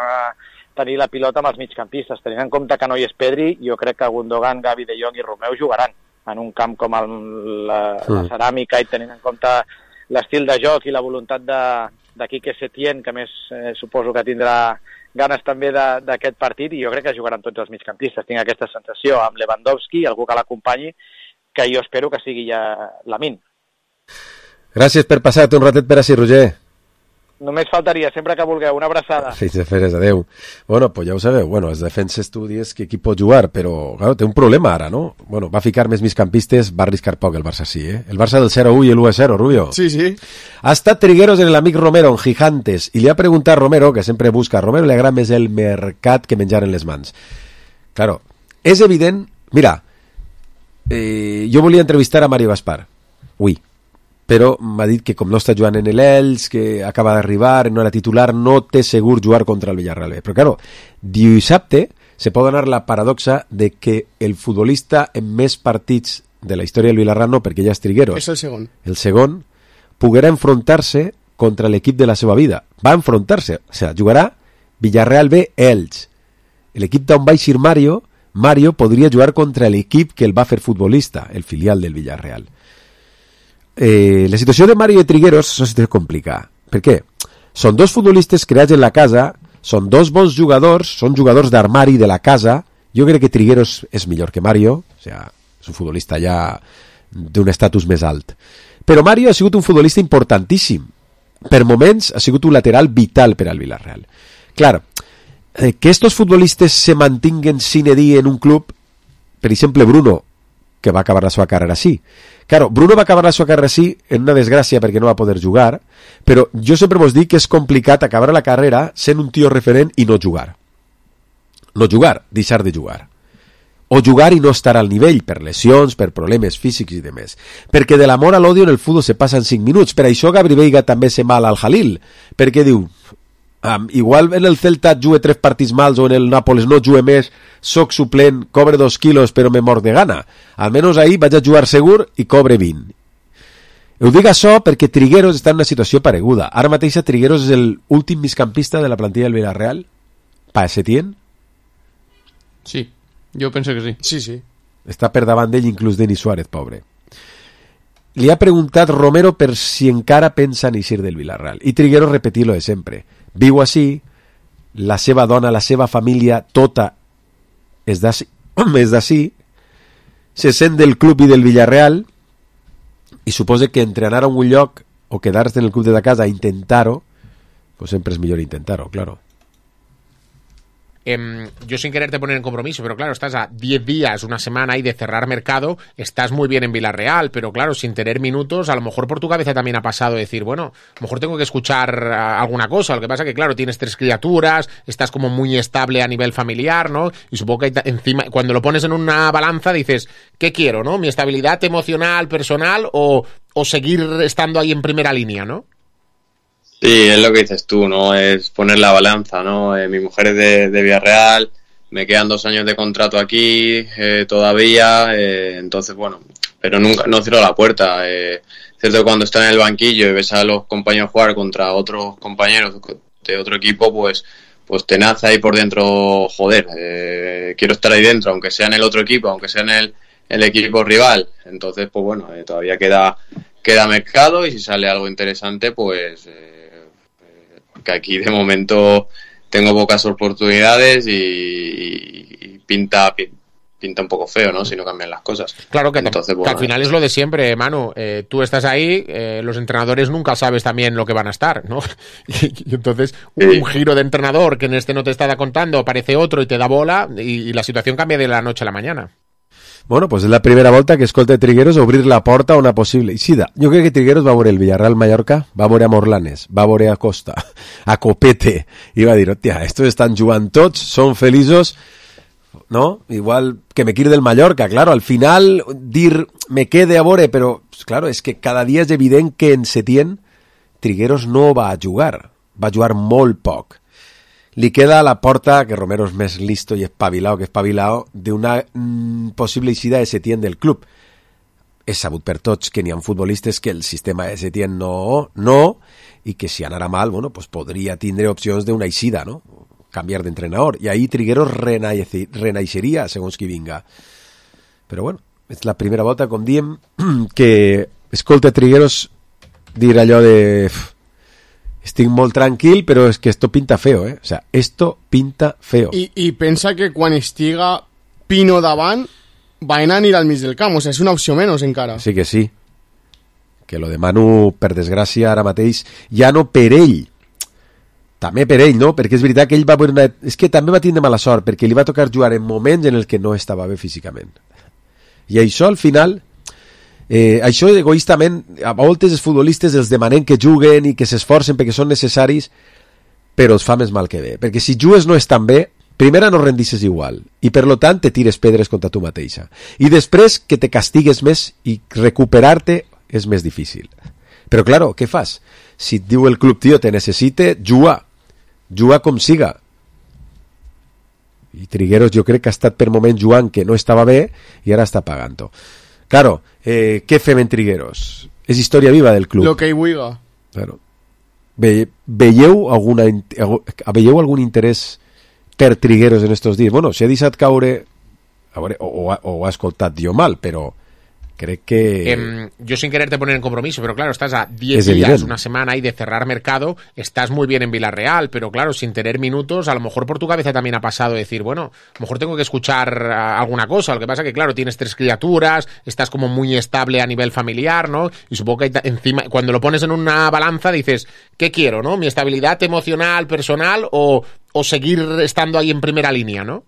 Speaker 16: tenir la pilota amb els migcampistes. Tenint en compte que no hi és Pedri, jo crec que Gundogan, Gavi, De Jong i Romeu jugaran en un camp com el, la, la ceràmica, i tenint en compte l'estil de joc i la voluntat de, de Quique Setién, que més eh, suposo que tindrà ganes també de, d'aquest partit, i jo crec que jugaran tots els migcampistes. Tinc aquesta sensació amb Lewandowski, algú que l'acompanyi, que jo espero que sigui ja Lamine.
Speaker 4: Gràcies per passar-te un ratet per així, Roger.
Speaker 16: Només faltaria, sempre que vulgueu. Una abraçada.
Speaker 4: Fins de feres, adeu. Bueno, pues ja ho sabeu. Bueno, els defenses tu dius que qui pot jugar, però claro, té un problema ara, no? Bueno, va ficar més migcampistes, va arriscar poc el Barça, sí, eh? El Barça del cero a uno i el uno a cero, Rubio.
Speaker 6: Sí, sí.
Speaker 4: Ha estat Trigueros en el amic Romero, en Gigantes, i li ha preguntat a Romero, que sempre busca, a Romero li agrada més el mercat que menjar en les mans. Claro, és evident... Mira, eh, jo volia entrevistar a Mario Gaspar, ui, però m'ha dit que com no està jugant en l'Elx, que acaba d'arribar, no era titular, no té segur jugar contra el Villarreal. Però, claro, dissabte se pot donar la paradoxa de que el futbolista en més partits de la història del Villarreal no, perquè ja és Trigueros.
Speaker 6: És el segon.
Speaker 4: El segon poguera enfrontar-se contra l'equip de la seva vida. Va enfrontar-se, o sigui, jugarà Villarreal B Elx. L'equip d'on va eixir Mario, Mario podria jugar contra l'equip que el va fer futbolista, el filial del Villarreal. Eh, la situació de Mario i Trigueros és una situació complicada. Per què? Són dos futbolistes creats en la casa, són dos bons jugadors, són jugadors d'armari de la casa. Jo crec que Trigueros és millor que Mario, o sigui, és un futbolista ja d'un estatus més alt. Però Mario ha sigut un futbolista importantíssim. Per moments ha sigut un lateral vital per al Villarreal. Clar, eh, que estos futbolistes se mantinguen sine die en un club, per exemple Bruno, que va acabar la seva carrera així. Claro, Bruno va acabar la seva carrera així en una desgràcia perquè no va poder jugar, però jo sempre vos dic que és complicat acabar la carrera sent un tio referent i no jugar. No jugar, deixar de jugar. O jugar i no estar al nivell per lesions, per problemes físics i demés. Perquè de l'amor a l'odio en el futbol se passen cinc minuts. Per això Gabri Veiga també se mal al Jalil, perquè diu, um, igual en el Celta jugue tres partits mals o en el Nàpoles no jugue més, soc suplent, cobre dos quilos però me mort de gana. Almenys ahir vaig a jugar segur i cobre vint. Ho dic això perquè Trigueros està en una situació pareguda. Ara mateix Trigueros és l'últim migcampista de la plantilla del Villarreal. Pa Setién?
Speaker 5: Sí, jo penso que sí.
Speaker 6: Sí, sí.
Speaker 4: Està per davant d'ell inclús Denis Suárez, pobre. Li ha preguntat Romero per si encara pensa en eixir del Villarreal. I Trigueros repetir lo de sempre. Viu així, la seva dona, la seva família, tota és d'ací, és d'ací, se sent del club i del Villarreal i suposa que entrenar a un lloc o quedar-se en el club de la casa a intentar-ho, pues sempre és millor intentar-ho, claro.
Speaker 17: Eh, yo sin quererte poner en compromiso, pero claro, estás a diez días, una semana ahí de cerrar mercado, estás muy bien en Villarreal, pero claro, sin tener minutos, a lo mejor por tu cabeza también ha pasado decir, bueno, a lo mejor tengo que escuchar uh, alguna cosa. Lo que pasa que, claro, tienes tres criaturas, estás como muy estable a nivel familiar, ¿no? Y supongo que encima, cuando lo pones en una balanza, dices, ¿qué quiero, no? ¿Mi estabilidad emocional, personal o, o seguir estando ahí en primera línea, no?
Speaker 18: Sí, es lo que dices tú, ¿no? Es poner la balanza, ¿no? Eh, mi mujer es de, de Villarreal, me quedan dos años de contrato aquí eh, todavía, eh, entonces, bueno, pero nunca, no cierro la puerta. Eh, cierto que cuando estás en el banquillo y ves a los compañeros jugar contra otros compañeros de otro equipo, pues pues te nace ahí por dentro, joder, eh, quiero estar ahí dentro, aunque sea en el otro equipo, aunque sea en el, el equipo rival. Entonces, pues bueno, eh, todavía queda, queda mercado y si sale algo interesante, pues... Eh, que aquí de momento tengo pocas oportunidades y, y pinta pinta un poco feo, ¿no? Si no cambian las cosas.
Speaker 17: Claro que,
Speaker 18: Entonces,
Speaker 17: que
Speaker 18: bueno,
Speaker 17: al final es lo de siempre, Manu. Eh, tú estás ahí, eh, los entrenadores nunca sabes también lo que van a estar, ¿no? Y, y entonces un, sí. un giro de entrenador que en este no te está contando, aparece otro y te da bola y, y la situación cambia de la noche a la mañana.
Speaker 4: Bueno, pues és la primera volta que escolta Trigueros obrir la porta a una possible eixida. Jo crec que Trigueros va veure el Villarreal Mallorca, va veure a Morlanes, va veure a Costa, a Copete, i va dir, hòstia, estos estan jugant tots, són feliços, no? Igual que me quiere del Mallorca, claro, al final dir me quede a veure, però, claro, és que cada dia és evident que en Setién Trigueros no va a jugar, va a jugar molt poc. Li queda a la porta, que Romero és més listo i espabilao que espabilao, d'una mm, possible eixida de Setién del club. És sabut per tots que n'hi ha futbolistes que el sistema de Setién no, no, i que si anara mal, bueno, pues podria tindre opcions d'una eixida, no? Canviar d'entrenador. I ahí Trigueros renaixeria, segons qui vinga. Però bueno, és la primera volta, com diem, que escolta Trigueros dir allò de... Estic molt tranquil, però és que esto pinta feo, eh? O sea, esto pinta feo.
Speaker 6: I, i pensa que quan estiga Pino davant, van a anar al mig del camp, o sea, és una opció menys encara.
Speaker 4: Sí que sí. Que lo de Manu, per desgràcia, ara mateix, ja no per ell, també per ell, no? Perquè és veritat que ell va... Una... És que també va tindre mala sort, perquè li va tocar jugar en moments en el que no estava bé físicament. I això, al final... Eh, això egoístament a voltes els futbolistes els demanen que juguen i que s'esforcen perquè són necessaris, però els fa més mal que bé, perquè si jugues no estan bé, primera no rendisses igual i per lo tant te tires pedres contra tu mateixa i després que te castigues més i recuperar-te és més difícil. Però claro, què fas? Si et diu el club, tio, te necessite, juga juga com siga. I Trigueros jo crec que ha estat per moment jugant que no estava bé i ara està pagant-ho. Claro, eh, què fem en Trigueros? És història viva del club.
Speaker 5: Lo que hi vulga.
Speaker 4: Claro. Ve, veieu, alguna, veieu algun interès per Trigueros en estos dies? Bueno, si ha deixat caure, a veure, o, o, o ho ha escoltat jo mal, però crec que...
Speaker 17: Eh, yo sin quererte poner en compromiso, pero claro, estás a diez días,
Speaker 4: evidente.
Speaker 17: una semana ahí de cerrar mercado, estás muy bien en Villarreal, pero claro, sin tener minutos, a lo mejor por tu cabeza también ha pasado decir, bueno, a lo mejor tengo que escuchar uh, alguna cosa, lo que pasa que claro, tienes tres criaturas, estás como muy estable a nivel familiar, ¿no? Y supongo que encima, cuando lo pones en una balanza dices, ¿qué quiero, no? ¿Mi estabilidad emocional, personal o, o seguir estando ahí en primera línea, no?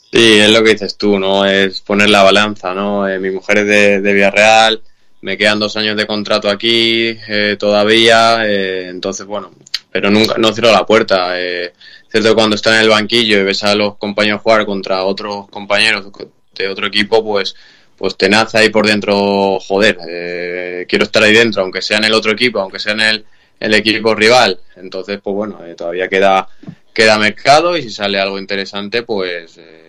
Speaker 18: Sí, es lo que dices tú, ¿no? Es poner la balanza, ¿no? Eh, mi mujer es de, de Villarreal, me quedan dos años de contrato aquí eh, todavía, eh, entonces, bueno, pero nunca, no cierro la puerta. Eh, cierto que cuando estás en el banquillo y ves a los compañeros jugar contra otros compañeros de otro equipo, pues pues te nace ahí por dentro, joder, eh, quiero estar ahí dentro, aunque sea en el otro equipo, aunque sea en el, el equipo rival. Entonces, pues bueno, eh, todavía queda, queda mercado y si sale algo interesante, pues... Eh,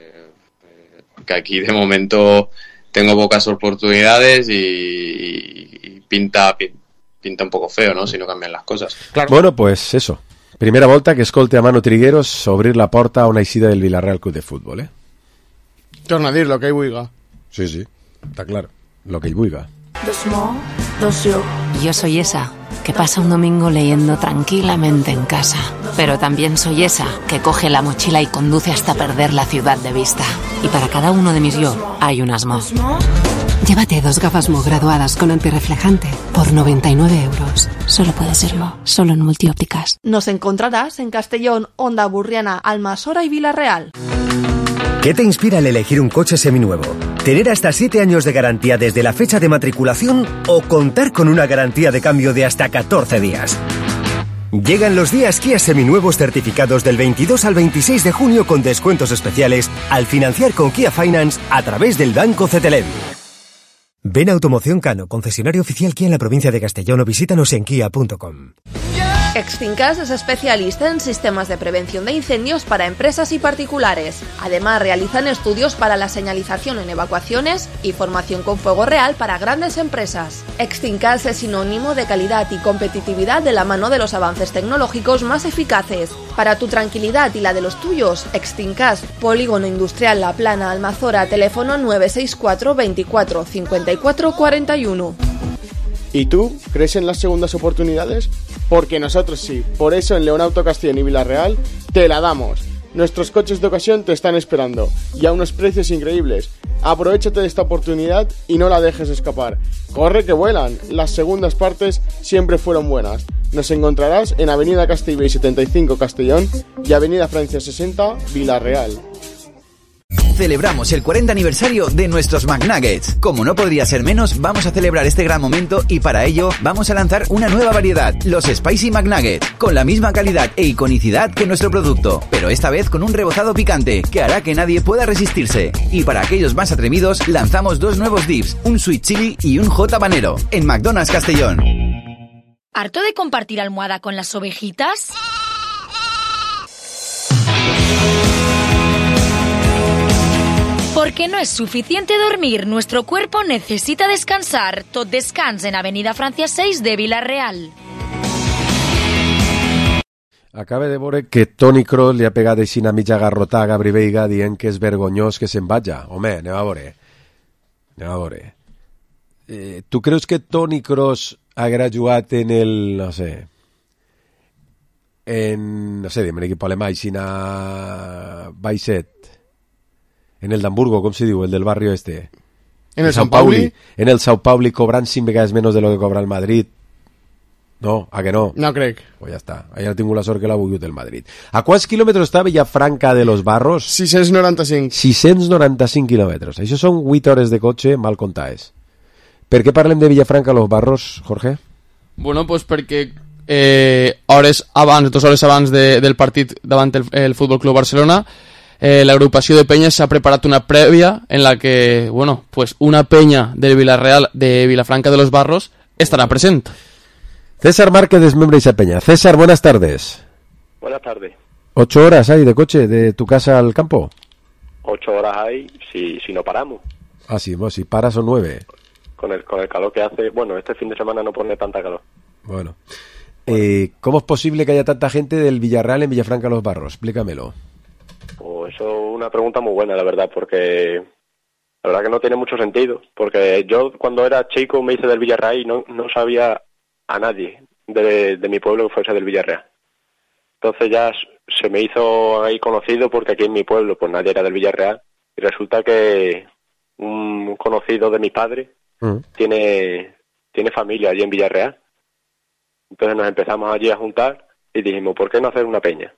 Speaker 18: que aquí de momento tengo pocas oportunidades y, y pinta pinta un poco feo, ¿no? Si no cambian las cosas.
Speaker 4: Claro. Bueno, pues eso. Primera volta que escolte a Manu Trigueros obrir la porta a una eixida del Villarreal Club de Fútbol, eh?
Speaker 6: Torna a dir lo que hi vulga.
Speaker 4: Sí, sí, está claro. Lo que hi vulga.
Speaker 2: Dos mo, dos yo.
Speaker 19: Yo soy esa que pasa un domingo leyendo tranquilamente en casa. Pero también soy esa que coge la mochila y conduce hasta perder la ciudad de vista. Y para cada uno de mis yo hay unas Mo.
Speaker 20: Llévate dos gafas Mo graduadas con antirreflejante por noventa y nueve euros. Solo puede ser Mo, solo en Multiópticas.
Speaker 12: Nos encontrarás en Castellón, Onda Burriana, Almasora y Villarreal.
Speaker 21: ¿Qué te inspira al elegir un coche seminuevo? ¿Tener hasta siete años de garantía desde la fecha de matriculación o contar con una garantía de cambio de hasta catorce días? Llegan los días Kia seminuevos certificados del veintidós al veintiséis de junio con descuentos especiales al financiar con Kia Finance a través del Banco Cetelem. Ven a Automoción Cano, concesionario oficial Kia en la provincia de Castellón o visítanos en kia punto com.
Speaker 12: Extincas es especialista en sistemas de prevención de incendios para empresas y particulares. Además, realizan estudios para la señalización en evacuaciones y formación con fuego real para grandes empresas. Extincas es sinónimo de calidad y competitividad de la mano de los avances tecnológicos más eficaces. Para tu tranquilidad y la de los tuyos, Extincas, Polígono Industrial La Plana, Almazora, teléfono nueve seis cuatro veinticuatro cincuenta y cuatro cuarenta y uno.
Speaker 6: ¿Y tú crees en las segundas oportunidades? Porque nosotros sí. Por eso en Leonauto Castellón y Villarreal te la damos. Nuestros coches de ocasión te están esperando y a unos precios increíbles. Aprovechate de esta oportunidad y no la dejes escapar. Corre que vuelan. Las segundas partes siempre fueron buenas. Nos encontrarás en Avenida Castellbell setenta y cinco Castellón y Avenida Francia sesenta Villarreal.
Speaker 22: Celebramos el cuarenta aniversario de nuestros McNuggets. Como no podría ser menos, vamos a celebrar este gran momento y para ello vamos a lanzar una nueva variedad, los Spicy McNuggets, con la misma calidad e iconicidad que nuestro producto, pero esta vez con un rebozado picante que hará que nadie pueda resistirse. Y para aquellos más atrevidos, lanzamos dos nuevos dips, un Sweet Chili y un Hot Habanero, en McDonald's Castellón.
Speaker 9: ¿Harto de compartir almohada con las ovejitas? Porque no es suficiente dormir, nuestro cuerpo necesita descansar. Tot descans en Avenida Francia seis de Villarreal.
Speaker 4: Acaba de veure que Toni Kroos li ha pegat així una mitja garrotada a Gabri Veiga dient que és vergonyós que se'n vaja. Home, anem a veure. Anem a veure. Eh, tu creus que Toni Kroos haguera jugat en el, no sé, en, no sé, dime un equip alemany, Sina Baixet, en el d'Hamburgo, com se diu, el del barrio este?
Speaker 6: En el San Pauli?
Speaker 4: En el Sao Pauli cobrant cinc vegades menys de lo que cobra el Madrid. No, a que no?
Speaker 6: No crec.
Speaker 4: Pues ja està. Allà ha tingut la sort que l'ha volgut el Madrid. A quants quilòmetres està Villafranca de los Barros?
Speaker 6: sis-cents noranta-cinc.
Speaker 4: sis-cents noranta-cinc quilòmetres. Això són vuit hores de cotxe mal comptades. Per què parlem de Villafranca de los Barros, Jorge?
Speaker 5: Bueno, pues perquè eh, hores abans, dues hores abans de, del partit davant el, el Futbol Club Barcelona, Eh, la agrupació de penyes s'ha preparat una prèvia en la que, bueno, pues una peña del Villarreal, de Vilafranca de los Barros, estará presente.
Speaker 4: César Márquez es miembro de esa peña. César, buenas tardes.
Speaker 23: Buenas tardes.
Speaker 4: ¿Ocho horas hay de coche de tu casa al campo?
Speaker 23: Ocho horas hay si, si no paramos.
Speaker 4: Ah, sí, bueno, si paras son nueve.
Speaker 3: Con el, con el calor que hace, bueno, este fin de semana no pone tanta calor.
Speaker 4: Bueno. Eh, ¿Cómo es posible que haya tanta gente del Villarreal en Villafranca Los Barros? Explícamelo.
Speaker 3: Pues eso es una pregunta muy buena, la verdad, porque la verdad que no tiene mucho sentido. Porque yo cuando era chico me hice del Villarreal y no, no sabía a nadie de, de mi pueblo que fuese del Villarreal. Entonces ya se me hizo ahí conocido porque aquí en mi pueblo pues nadie era del Villarreal. Y resulta que un conocido de mi padre mm. tiene, tiene familia allí en Villarreal. Entonces nos empezamos allí a juntar y dijimos, ¿por qué no hacer una peña?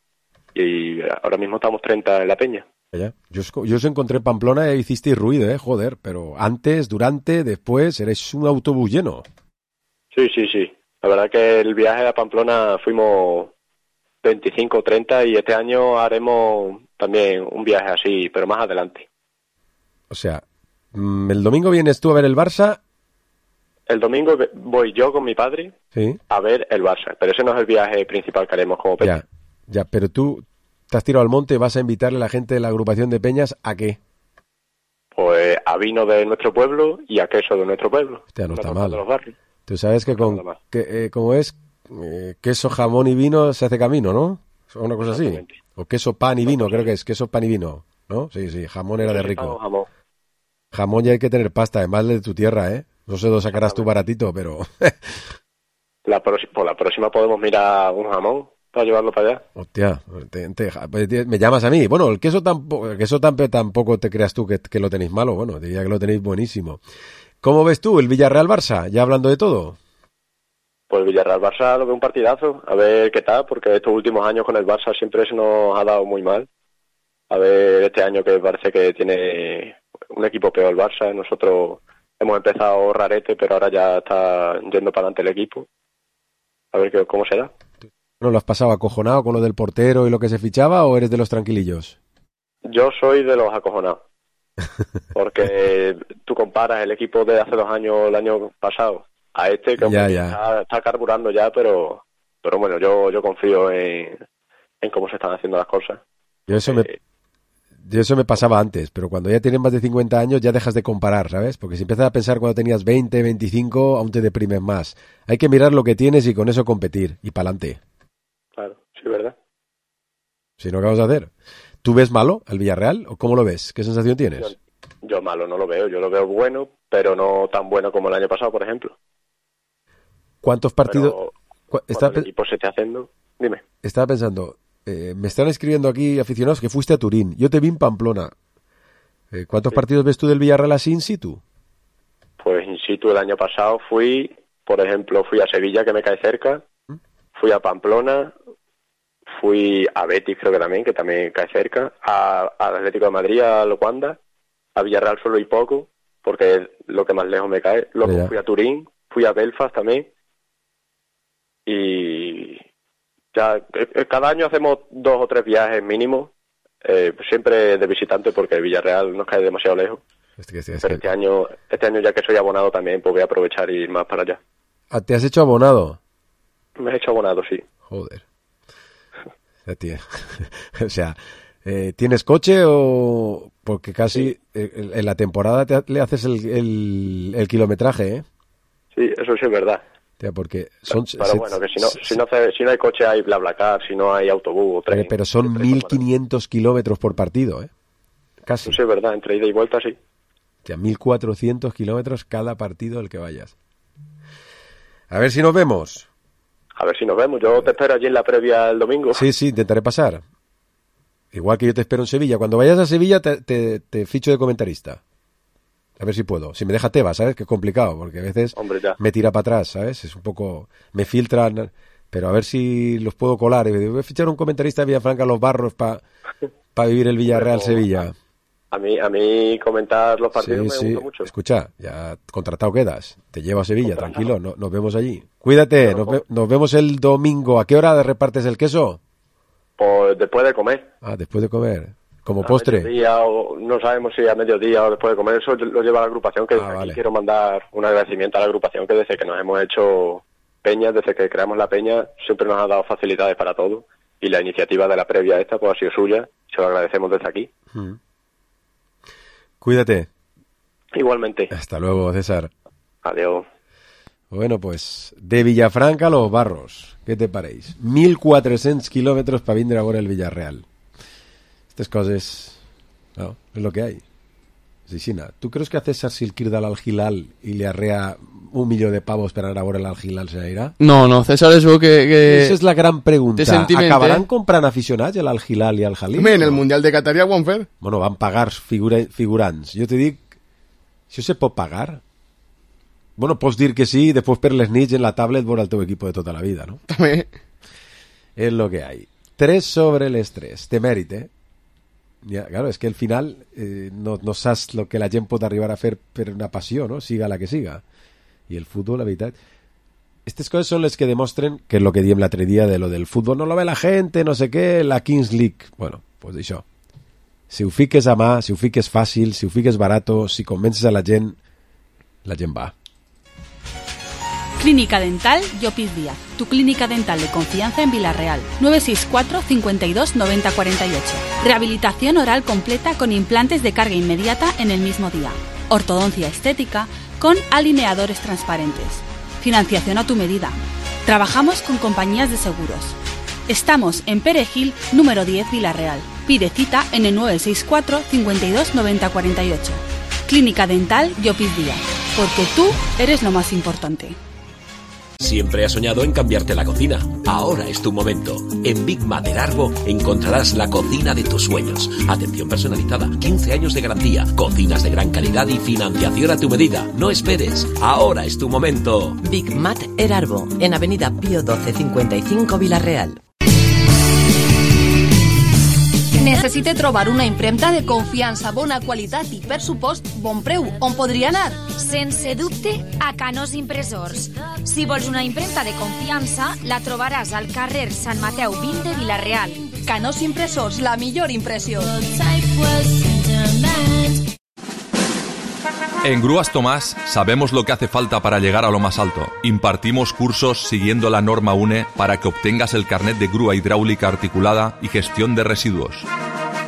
Speaker 3: Y ahora mismo estamos treinta en la peña.
Speaker 4: Ya. Yo, os, yo os encontré en Pamplona e hicisteis ruido, ¿eh? Joder, pero antes, durante, después, eres un autobús lleno.
Speaker 3: Sí, sí, sí. La verdad que el viaje a Pamplona fuimos veinticinco o treinta y este año haremos también un viaje así, pero más adelante.
Speaker 4: O sea, el domingo vienes tú a ver el Barça.
Speaker 3: El domingo voy yo con mi padre
Speaker 4: ¿Sí?
Speaker 3: a ver el Barça, pero ese no es el viaje principal que haremos como peña.
Speaker 4: Ya, ya, pero tú te has tirado al monte y vas a invitarle a la gente de la agrupación de peñas ¿a qué?
Speaker 3: Pues a vino de nuestro pueblo y a queso de nuestro pueblo.
Speaker 4: Hostia, no está
Speaker 3: de
Speaker 4: mal.
Speaker 3: los barrios.
Speaker 4: Tú sabes que con, que, eh, como es, eh, queso, jamón y vino se hace camino, ¿no? O una cosa así. O queso, pan y vino, creo que es queso, pan y vino, ¿no? Sí, sí, jamón era de rico.
Speaker 3: Jamón.
Speaker 4: Jamón ya hay que tener pasta, además de tu tierra, ¿eh? No sé dónde sacarás tú baratito, pero...
Speaker 3: la por la próxima podemos mirar un jamón para llevarlo para allá.
Speaker 4: Hostia, te, te, me llamas a mí. Bueno, el queso tampoco, el queso tampoco te creas tú que, que lo tenéis malo. Bueno, diría que lo tenéis buenísimo. ¿Cómo ves tú el Villarreal-Barça? Ya hablando de todo.
Speaker 3: Pues Villarreal-Barça lo veo un partidazo. A ver qué tal, porque estos últimos años con el Barça siempre se nos ha dado muy mal. A ver este año que parece que tiene un equipo peor el Barça. Nosotros hemos empezado rarete, pero ahora ya está yendo para adelante el equipo. A ver qué, cómo será.
Speaker 4: ¿No lo has pasado acojonado con lo del portero y lo que se fichaba o eres de los tranquilillos?
Speaker 3: Yo soy de los acojonados. Porque tú comparas el equipo de hace dos años, el año pasado, a este que
Speaker 4: ya, ya.
Speaker 3: Está, está carburando ya, pero pero bueno, yo yo confío en, en cómo se están haciendo las cosas.
Speaker 4: Yo eso, eh, me, yo eso me pasaba antes, pero cuando ya tienes más de cincuenta años ya dejas de comparar, ¿sabes? Porque si empiezas a pensar cuando tenías veinte, veinticinco, aún te deprimes más. Hay que mirar lo que tienes y con eso competir, y pa'lante.
Speaker 3: Claro, sí, ¿verdad?
Speaker 4: Si no, ¿qué vamos a hacer? ¿Tú ves malo al Villarreal o cómo lo ves? ¿Qué sensación tienes?
Speaker 3: Yo, yo malo no lo veo, yo lo veo bueno, pero no tan bueno como el año pasado, por ejemplo.
Speaker 4: ¿Cuántos partidos?
Speaker 3: Pero, estaba, el equipo se está haciendo, dime.
Speaker 4: Estaba pensando, eh, me están escribiendo aquí aficionados que fuiste a Turín, yo te vi en Pamplona. Eh, ¿Cuántos sí. partidos ves tú del Villarreal así in situ?
Speaker 3: Pues in situ el año pasado fui, por ejemplo, fui a Sevilla, que me cae cerca, ¿Mm? fui a Pamplona, fui a Betis, creo que también, que también cae cerca, a, a Atlético de Madrid, a Locuanda, a Villarreal solo y poco, porque es lo que más lejos me cae. Luego ya. fui a Turín, fui a Belfast también, y ya cada año hacemos dos o tres viajes mínimos, eh, siempre de visitante, porque Villarreal nos cae demasiado lejos.
Speaker 4: Este, este,
Speaker 3: Pero este año, este año ya que soy abonado también, pues voy a aprovechar y ir más para allá.
Speaker 4: ¿Te has hecho abonado?
Speaker 3: Me he hecho abonado, sí.
Speaker 4: Joder. O sea, eh, ¿tienes coche o...? Porque casi sí. eh, en la temporada te, le haces el, el, el kilometraje, ¿eh?
Speaker 3: Sí, eso sí es verdad.
Speaker 4: Tía, porque son...
Speaker 3: Pero, pero bueno, que si no, si, no hace, si no hay coche hay BlaBlaCar, si no hay autobús o tren.
Speaker 4: Pero son mil quinientos kilómetros por partido, ¿eh? Casi.
Speaker 3: Eso sí es verdad, entre ida y vuelta sí.
Speaker 4: Tía, mil cuatrocientos kilómetros cada partido al que vayas. A ver si nos vemos.
Speaker 3: A ver si nos vemos. Yo te espero allí en la previa el domingo.
Speaker 4: Sí, sí, intentaré pasar. Igual que yo te espero en Sevilla. Cuando vayas a Sevilla te, te, te ficho de comentarista. A ver si puedo. Si me deja Tebas, ¿sabes? Que es complicado, porque a veces
Speaker 3: Hombre, ya.
Speaker 4: me tira para atrás, ¿sabes? Es un poco... Me filtran, pero a ver si los puedo colar. Y voy a fichar un comentarista de Villafranca Los Barros para pa vivir el Villarreal-Sevilla.
Speaker 3: A mí, a mí comentar los partidos
Speaker 4: sí,
Speaker 3: me
Speaker 4: sí.
Speaker 3: gusta mucho.
Speaker 4: Escucha, ya contratado quedas. Te llevo a Sevilla, contratado. Tranquilo. No, nos vemos allí. Cuídate, nos, ve, nos vemos el domingo. ¿A qué hora repartes el queso?
Speaker 3: Pues después de comer.
Speaker 4: Ah, después de comer. Como
Speaker 3: a
Speaker 4: postre.
Speaker 3: Mediodía, o no sabemos si a mediodía o después de comer. Eso lo lleva la agrupación, que
Speaker 4: ah,
Speaker 3: desde
Speaker 4: vale.
Speaker 3: aquí quiero mandar un agradecimiento a la agrupación, que desde que nos hemos hecho peñas, desde que creamos la peña, siempre nos ha dado facilidades para todo. Y la iniciativa de la previa esta pues ha sido suya. Se lo agradecemos desde aquí.
Speaker 4: Hmm. Cuídate.
Speaker 3: Igualmente.
Speaker 4: Hasta luego, César.
Speaker 3: Adiós.
Speaker 4: Bueno, pues, de Villafranca a Los Barros, ¿qué te pareix? mil quatre-cents kilómetros para vindre a veure el Villarreal. Estas coses, no, es lo que hay. Sisina, ¿tú crees que a César si el crida al Hilal y le arrea un millón de pavos per anar a veure al Hilal se n'irà?
Speaker 5: No, no, César es veu que... que...
Speaker 4: Esa és la gran pregunta.
Speaker 5: Sentiment,
Speaker 4: Acabaran
Speaker 5: eh?
Speaker 4: comprant aficionats el Al Hilal i el Jalil?
Speaker 6: Home, en el Mundial de Qatar ja ho han fet.
Speaker 4: Bueno, van pagar figura, figurants. Jo te dic, això se pot pagar? Bueno, pots dir que sí i després per les nits en la tablet veure el teu equip de tota la vida, no?
Speaker 6: També.
Speaker 4: És lo que hay. Tres sobre les tres. Té mèrit, eh? Ja, claro, és que al final eh, no, no saps lo que la gent pot arribar a fer per una passió, no? Siga la que siga. I el futbol, la veritat... Estas coses són les que demostren que és lo que diem l'altre dia de lo del futbol no lo ve la gente, no sé què, la Kings League. Bueno, pues això. Si ho fiques a mà, si ho fiques fàcil, si ho fiques barato, si convences a la gent, la gent va.
Speaker 7: Clínica Dental Llopis Díaz, tu clínica dental de confianza en Villarreal. nueve seis cuatro, cincuenta y dos, noventa cuarenta y ocho. Rehabilitación oral completa con implantes de carga inmediata en el mismo día. Ortodoncia estética con alineadores transparentes. Financiación a tu medida. Trabajamos con compañías de seguros. Estamos en Perejil, número diez, Villarreal. Pide cita en el nueve seis cuatro, cincuenta y dos, noventa cuarenta y ocho. Clínica Dental Llopis Díaz, porque tú eres lo más importante.
Speaker 8: Siempre has soñado en cambiarte la cocina. Ahora es tu momento. En Big Mat Erarbo encontrarás la cocina de tus sueños. Atención personalizada, quince años de garantía, cocinas de gran calidad y financiación a tu medida. No esperes. Ahora es tu momento.
Speaker 23: Big Mat Erarbo, en Avenida Pío doce cincuenta y cinco, Villarreal.
Speaker 12: Necessite trobar una impremta de confiança, bona qualitat i, per supost, bon preu. On podria anar?
Speaker 9: Sense dubte, a Canós Impressors. Si vols una impremta de confiança, la trobaràs al carrer Sant Mateu vint de Vila-real.
Speaker 12: Canós Impressors, la millor impressió.
Speaker 24: En Grúas Tomás sabemos lo que hace falta para llegar a lo más alto. Impartimos cursos siguiendo la norma U N E para que obtengas el carnet de grúa hidráulica articulada y gestión de residuos.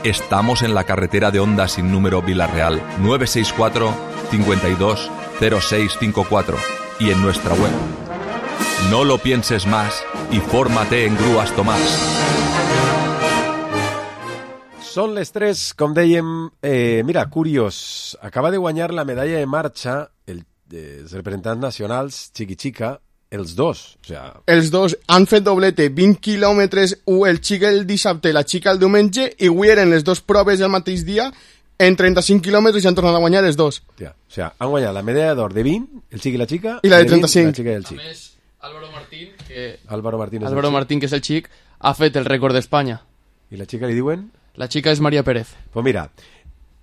Speaker 24: Estamos en la carretera de Honda sin número Vila-real, nueve seis cuatro, cincuenta y dos, cero seis cinco cuatro y en nuestra web. No lo pienses más y fórmate en Grúas Tomás.
Speaker 4: Són les tres, com dèiem, eh, mira, curiós, acaba de guanyar la medalla de marxa el, eh, els representants nacionals, Chiqui Chica, els dos. O sea...
Speaker 6: Els dos han fet doblete, vint quilòmetres, el xic el dissabte, la xica el diumenge, i avui eren les dues proves el mateix dia, en trenta-cinc quilòmetres i han tornat a guanyar els dos.
Speaker 4: Tia, o sea, han guanyat la medalla d'or de vint, el xic i la xica,
Speaker 6: i la de trenta-cinc.
Speaker 4: La xica i el xic.
Speaker 5: A més, Álvaro Martín, que...
Speaker 4: Álvaro Martín, és
Speaker 5: Álvaro
Speaker 4: el
Speaker 5: Martín, que és el xic, ha fet el rècord d'Espanya.
Speaker 4: I la xica li diuen?
Speaker 5: La xica és Maria Pérez.
Speaker 4: Pues mira,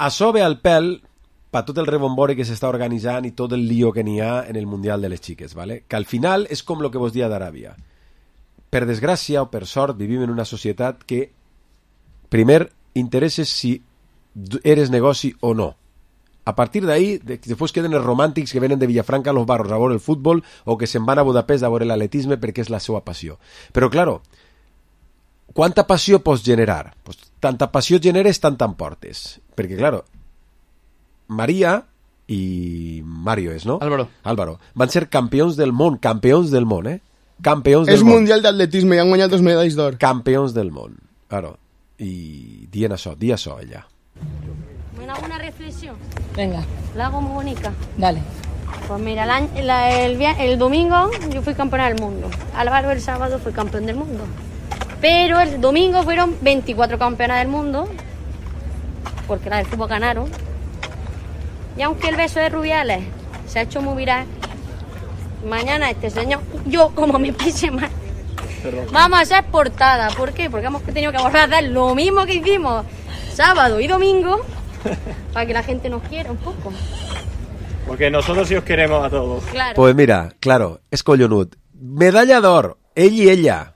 Speaker 4: això ve al pèl per tot el rebombori que s'està organitzant i tot el lío que n'hi ha en el Mundial de les Xiques, ¿vale? Que al final és com lo que vos dia d'Aràbia. Per desgràcia o per sort vivim en una societat que primer interesses si eres negoci o no. A partir d'ahí, després queden els romàntics que venen de Villafranca a Los Barros a veure el futbol o que se'n van a Budapest a veure l'atletisme perquè és la seva passió. Però, claro, quanta passió pots generar? Pues, tanta passió generes, tant t'emportes. Perquè, claro, Maria i Mario és, no?
Speaker 5: Álvaro.
Speaker 4: Álvaro. Van ser campions del món, campions del món, eh? Campions del
Speaker 6: és
Speaker 4: món.
Speaker 6: És mundial d'atletisme i han guanyat dos medalles d'or.
Speaker 4: Campions del món, claro. I dient això, di això, ella.
Speaker 25: ¿Me hago una reflexión?
Speaker 2: Venga.
Speaker 25: La hago muy bonita.
Speaker 2: Dale.
Speaker 25: Pues mira, el, año, la, el, el domingo yo fui campeona del mundo. Álvaro el sábado fue campeón del mundo. Pero el domingo fueron veinticuatro campeonas del mundo, porque las del fútbol ganaron. Y aunque el beso de Rubiales se ha hecho muy viral, mañana este señor, yo como me pise mal, vamos a ser portada. ¿Por qué? Porque hemos tenido que volver a hacer lo mismo que hicimos sábado y domingo para que la gente nos quiera un poco.
Speaker 26: Porque nosotros sí os queremos a todos.
Speaker 25: Claro.
Speaker 4: Pues mira, claro, és collonut. Medalla d'or, ell i ella.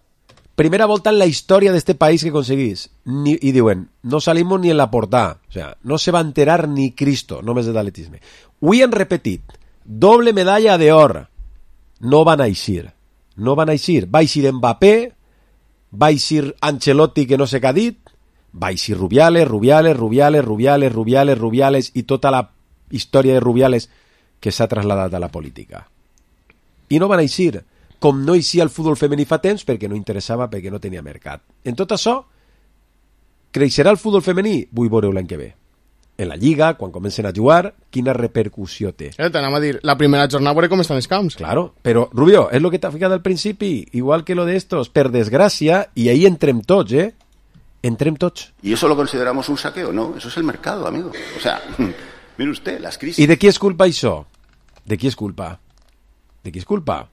Speaker 4: Primera volta en la història d'este país que aconseguís. Ni, I diuen, no salimos ni en la portada. O sea, no se va enterar ni Cristo, només de l'atletisme. Avui han repetit, doble medalla d'or. No van a eixir. No van a eixir. Va eixir Mbappé, va eixir Ancelotti, que no sé què ha dit, va eixir Rubiales, Rubiales, Rubiales, Rubiales, Rubiales, Rubiales, i tota la història de Rubiales que s'ha traslladat a la política. I no van eixir, com no eixia el futbol femení fa temps perquè no interessava, perquè no tenia mercat. En tot això, creixerà el futbol femení? Vull veure l'any que ve. En la Lliga, quan comencen a jugar, quina repercussió té.
Speaker 6: Eh, T'anava a dir, la primera jornada veure com estan els camps.
Speaker 4: Claro, però Rubio, és el que t'ha ficat al principi, igual que lo de estos, per desgràcia, i ahí entrem tots, eh? Entrem tots.
Speaker 1: ¿Y eso lo consideramos un saqueo? No, eso es el mercado, amigo. O sea, mire usted, las crisis...
Speaker 4: I de qui és culpa això? De qui és culpa? De qui és culpa?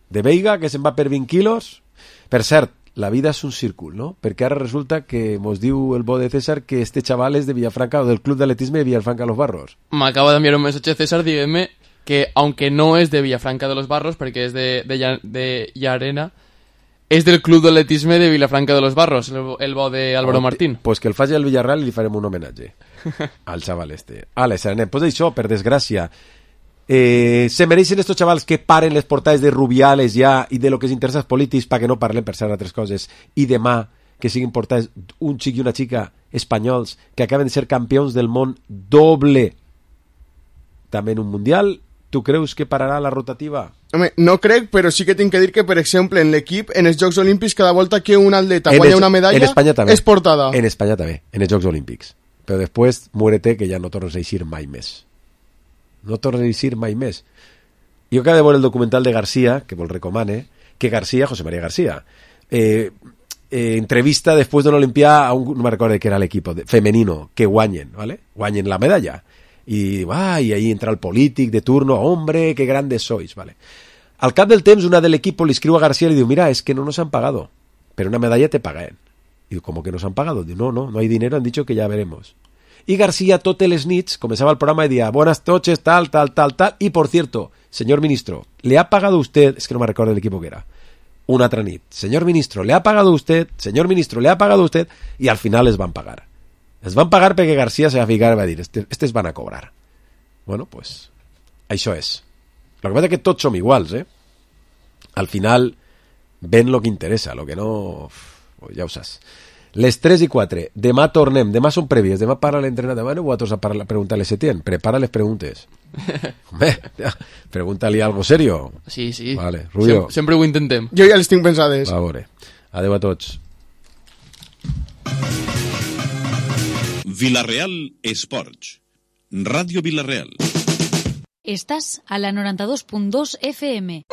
Speaker 4: De Veiga, que se'n va per vint quilos? Per cert, la vida és un círcul, no? Perquè ara resulta que mos diu el bo de César que este chaval és de Villafranca o del club d'atletisme de Villafranca de los Barros.
Speaker 5: M'acaba d'enviar un missatge César dient-me que, aunque no és de Villafranca de los Barros, perquè és de, de, de Llarena, és del club d'atletisme de Villafranca de los Barros, el, el bo de Álvaro Martín.
Speaker 4: Pues que el faci al Villarreal i li farem un homenatge al xaval este. Ale, Saranet, pues això, per desgràcia, eh, se mereixen estos xavals que paren les portades de Rubiales ja i de lo que els interessa als polítics perquè no parlem per ser altres coses, i demà que siguin portades un xic i una xica espanyols que acaben de ser campions del món doble també en un mundial. Tu creus que pararà la rotativa?
Speaker 6: Home, no crec, però sí que tinc que dir que, per exemple, en l'equip, en els Jocs Olímpics, cada volta que un atleta guanya una medalla, és portada.
Speaker 4: En Espanya també, en els Jocs Olímpics. Però després, muérete, que ja no tornes a eixir mai més. No tornes a eixir mai més. Jo acabo de veure el documental de García, que vos recomane, que García, José María García, eh, eh, entrevista després d'una Olimpiada a un, no me recordo que era l'equip femenino, que guanyen, ¿vale? Guanyen la medalla. Y, ah, y ahí entra el polític de turno, hombre, qué grandes sois, ¿vale? Al cap del temps, una del equipo le escribe a García y le digo, mira, es que no nos han pagado, pero una medalla te pagan. Y digo, ¿cómo que nos han pagado? Digo, no, no, no hay dinero, han dicho que ya veremos. Y García, totes les nits, comenzaba el programa y decía, buenas noches, tal, tal, tal, tal. Y por cierto, señor ministro, ¿le ha pagado usted? Es que no me recuerdo el equipo que era. Una altra nit. Señor ministro, ¿le ha pagado usted? Señor ministro, ¿le ha pagado usted? Y al final les van pagar. Es van pagar perquè García se va a ficar i va dir, estes, estes van a cobrar. Bueno, pues, això és. Lo que pasa es que tots som iguals, eh? Al final, ven lo que interessa, lo que no... Uf, ja ho saps. Les tres i quatre. Demà tornem, demà són prèvies, demà para l'entrenador. Demà no vosaltres a parlar, preguntar-li a Setién. Prepara les preguntes. Home, pregunta-li algo serio.
Speaker 5: Sí, sí.
Speaker 4: Vale, Rubio.
Speaker 5: Sem sempre ho intentem.
Speaker 6: Jo ja les tinc pensades.
Speaker 4: Va, a veure. Adéu a tots.
Speaker 10: Villarreal Esports. Radio Villarreal.
Speaker 9: Estás a la noranta dos punt dos F M.